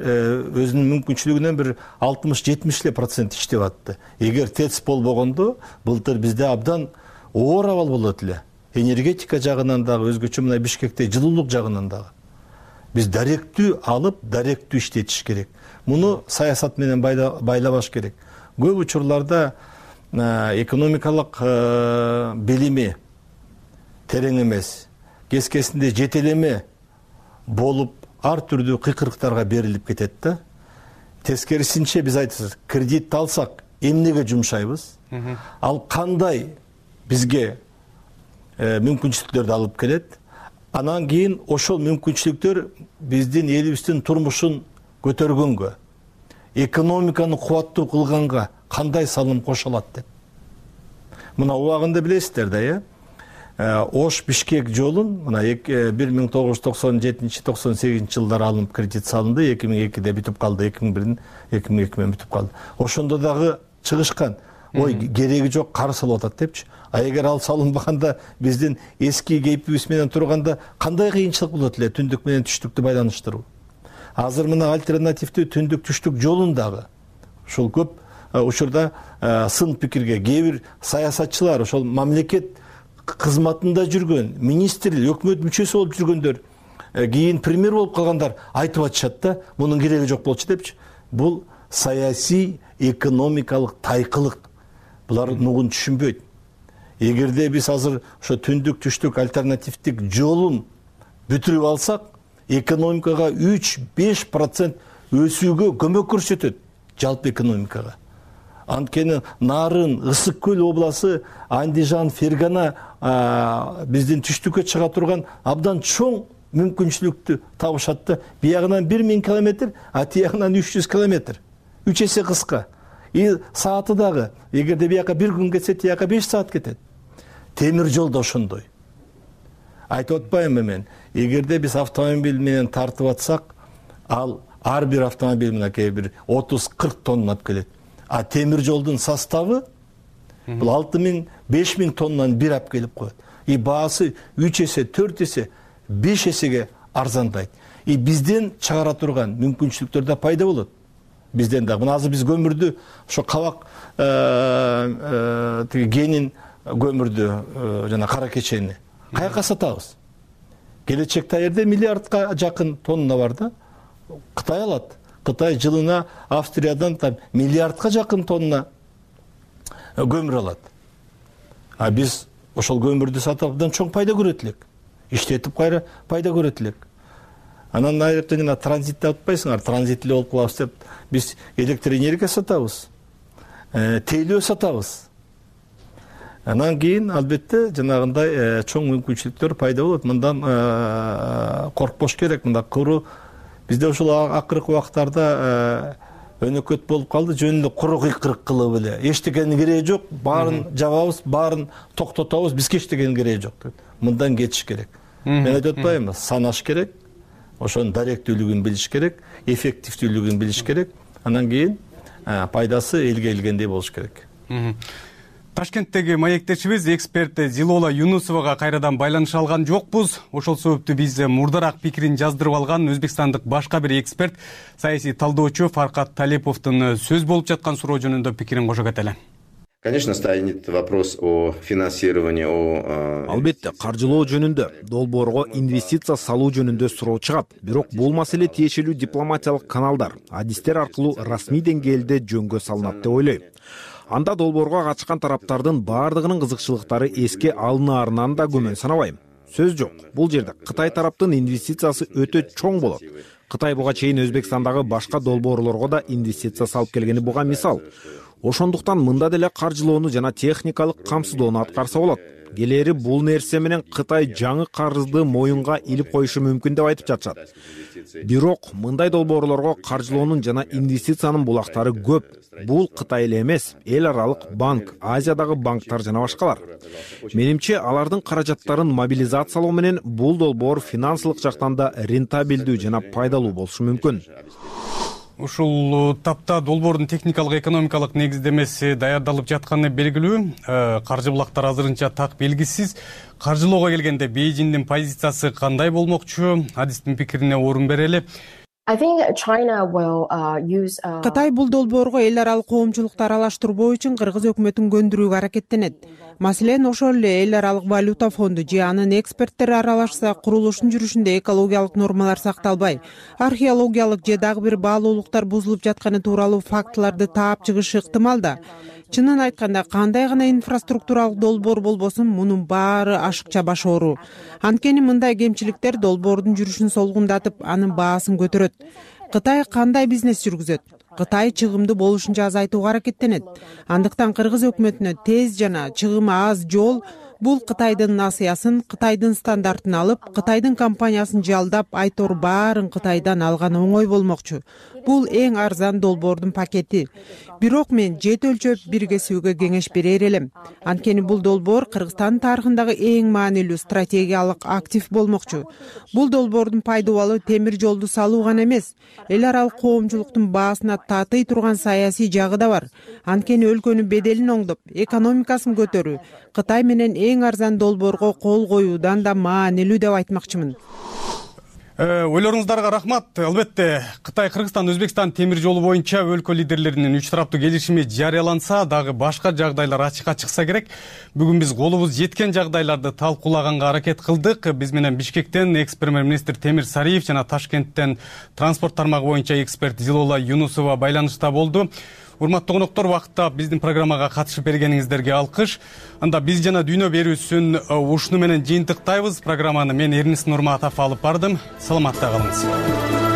өзүнүн мүмкүнчүлүгүнөн бир алтымыш жетимиш эле процент иштеп атты. Эгер ТЭЦ болбогондо, былтыр бизде абдан оор абал болот эле. Энергетика жагынан дагы, өзгөчө мына Бишкекте жылуулук жагынан дагы. Биз даректүү алып, даректүү иштетиш керек. Муну саясат менен байлабаш керек. Көп учурларда экономикалык билими терең эмес, кескесинде жетелеме болуп, ар түрдүү кыйкырыктарга берилип кетет да. Тескерисинче биз айтабыз, кредит алсак эмнеге жумшайбыз? Ал кандай бизге мүмкүнчүлүктөрдү алып келет? Анан кийин ошол мүмкүнчүлүктөр биздин элибиздин турмушун көтөргөнгө, экономиканы кубаттуу кылганга кандай салым кошулат деп. Мына убагында билесиздер да, э? Ош Бишкек жолун мына бир миң тогуз жүз токсон жетинчи токсон сегизинчи жылдары алынып кредит салынды, эки миң экиде бүтүп калды, эки миң бирден эки миң эки менен бүтүп калды. Ошондо дагы чыгышкан, ой, кереги жок, карыз алып атат депчи. А эгер ал салынбаганда, биздин эски кейпибиз менен турганда кандай кыйынчылык болот эле түндүк менен түштүктү байланыштыруу. азыр мына альтернативдүү түндүк түштүк жолун дагы ушул көп учурда сын пикирге кээ бир саясатчылар ошол мамлекет кызматында жүргөн министр өкмөт мүчөсү болуп жүргөндөр кийин премьер болуп калгандар айтып атышат да мунун кереги жок болчу депчи. Бул саясий экономикалык тайкылык. Булар нугун түшүнбөйт. Эгерде биз азыр ошо түндүк түштүк альтернативдик жолун бүтүрүп алсак, экономикага үч беш процент өсүүгө көмөк көрсөтөт жалпы экономикага. Анткени Нарын, Ысык көл обласы, Андижан, Фергана биздин түштүккө чыга турган абдан чоң мүмкүнчүлүктү табышат да. Биягынан бир миң километр, а тиягынан үч жүз километр. үч эсе кыска. И сааты дагы, эгерде бияка бир күн кетсе, тияка беш саат кетет. Темир жол да ошондой. Айтып атпаймынбы мен, эгерде биз автомобиль менен тартып атсак, ал ар бир автомобиль мынакей бир отуз кырк тонна алып келет. А темир жолдун составы бул алты миң беш миң тоннаны бир алып келип коет. И баасы үч эсе, төрт эсе, беш эсеге арзандайт. И бизден чыгара турган мүмкүнчүлүктөр да пайда болот. Бизден дагы. Мына азыр биз көмүрдү, ошо кабак тиги генин көмүрдү жана кара кечени каяка сатабыз? Келечекте жерде миллиардка жакын тонна бар да. Кытай алат. Кытай жылына Австриядан там миллиардка жакын тонна көмүр алат. А биз ошол көмүрдү сатып абдан чоң пайда көрөт элек. Иштетип кайра пайда көрөт элек. Анан айрыкча жана транзитте атпайсыңар, транзитле болуп калабыз деп биз электр энергия сатабыз, тейлөө сатабыз. Анан кийин албетте жанагындай чоң мүмкүнчүлүктөр пайда болот. Мындан коркпош керек. Мында куру бизде ушул акыркы убактарда өнөкөт болуп калды, жөн эле куру кыйкырык кылып эле. Эчтекенин кереги жок, баарын жабабыз, баарын токтотобуз, бизге эчтекенин кереги жок деп. Мындан кетиш керек. Мен айтып атпаймынбы, санаш керек. Ошонун даректүүлүгүн билиш керек, эффективдүүлүгүн билиш керек. Анан кийин пайдасы элге келгендей болуш керек. Ташкенттеги маектешибиз эксперт Зилола Юнусовага кайрадан байланыша алган жокпуз. Ошол себептүү биз мурдараак пикирин жаздырып алган өзбекстандык башка бир эксперт, саясий талдоочу Фаркат Талеповдун сөз болуп жаткан суроо жөнүндө пикирин кошо кетели. Конечно, станет вопрос о финансировании, о... Албетте, каржылоо жөнүндө, долбоорго инвестиция салуу жөнүндө суроо чыгат. Бирок бул маселе тиешелүү дипломатиялык каналдар, адистер аркылуу расмий деңгээлде жөнгө салынат деп ойлойм. Анда долбоорго катышкан тараптардын баардыгынын кызыкчылыктары эске алынаарынан да күмөн санабайм. Сөз жок, бул жерде Кытай тараптын инвестициясы өтө чоң болот. Кытай буга чейин Өзбекстандагы башка долбоорлорго да инвестиция салып келгени буга мисал. Ошондуктан мында деле каржылоону жана техникалык камсыздоону аткарса болот. Келери бул нерсе менен Кытай жаңы карызды моюнга илип коюшу мүмкүн деп айтып жатышат. Бирок мындай долбоорлорго каржылоонун жана инвестициянын булактары көп. Бул Кытай эле эмес, эл аралык банк, Азиядагы банктар жана башкалар. Менимче, алардын каражаттарын мобилизациялоо менен бул долбоор финансылык жактан да рентабелдүү жана пайдалуу болушу мүмкүн. Ушул тапта долбоордун техникалык экономикалык негиздемеси даярдалып жатканы белгилүү. Каржы булактары азырынча так белгисиз. Каржылоого келгенде Бейжиңдин позициясы кандай болмокчу? Адистин пикирине орун берели. Кытай бул долбоорго эл аралык коомчулукту аралаштырбоо үчүн Кыргыз өкмөтүн көндүрүүгө аракеттенет. Маселен, ошол эле эл аралык валюта фонду же анын эксперттери аралашса, курулуштун жүрүшүндө экологиялык нормалар сакталбай, археологиялык же дагы бир баалуулуктар бузулуп жатканы тууралуу фактыларды таап чыгышы ыктымал да. Чынын айтканда, кандай гана инфраструктуралык долбоор болбосун, мунун баары ашыкча баш оору. Анткени мындай кемчиликтер долбоордун жүрүшүн солгундатып, анын баасын көтөрөт. Кытай кандай бизнес жүргүзөт? Кытай чыгымды болушунча азайтууга аракеттенет. Андыктан Кыргыз өкмөтүнө тез жана чыгымы аз жол бул Кытайдын насыясын, Кытайдын стандартын алып, Кытайдын компаниясын жалдап, айтор баарын Кытайдан алган оңой болмокчу. Бул эң арзан долбоордун пакети. Бирок мен жет өлчөп биргесүүгө кеңеш берер элем. Анткени бул долбоор Кыргызстан тарыхындагы эң маанилүү стратегиялык актив болмокчу. Бул долбоордун пайдубалы темир жолду салуу гана эмес, эл аралык коомчулуктун баасына татый турган саясий жагы да бар. Анткени өлкөнүн беделин оңдоп, экономикасын көтөрүү Кытай менен эң арзан долбоорго кол коюудан да маанилүү деп айтмакчымын. Ойлоруңуздарга рахмат. Албетте Кытай, Кыргызстан, Өзбекстан темир жолу боюнча өлкө лидерлеринин үч тараптуу келишими жарыяланса дагы башка жагдайлар ачыкка чыкса керек. Бүгүн биз колубуз жеткен жагдайларды талкуулаганга аракет кылдык. Биз менен Бишкектен экс премьер-министр Темир Сариев жана Ташкенттен транспорт тармагы боюнча эксперт Зилола Юнусова байланышта болду. Урматтуу коноктор, убакытта биздин программага катышып бергениңиздерге алкыш. Анда биз жана дүйнө берүүсүн ушуну менен жыйынтыктайбыз. Программаны мен Эрнис Нурматов алып бардым. Саламатта калыңыз.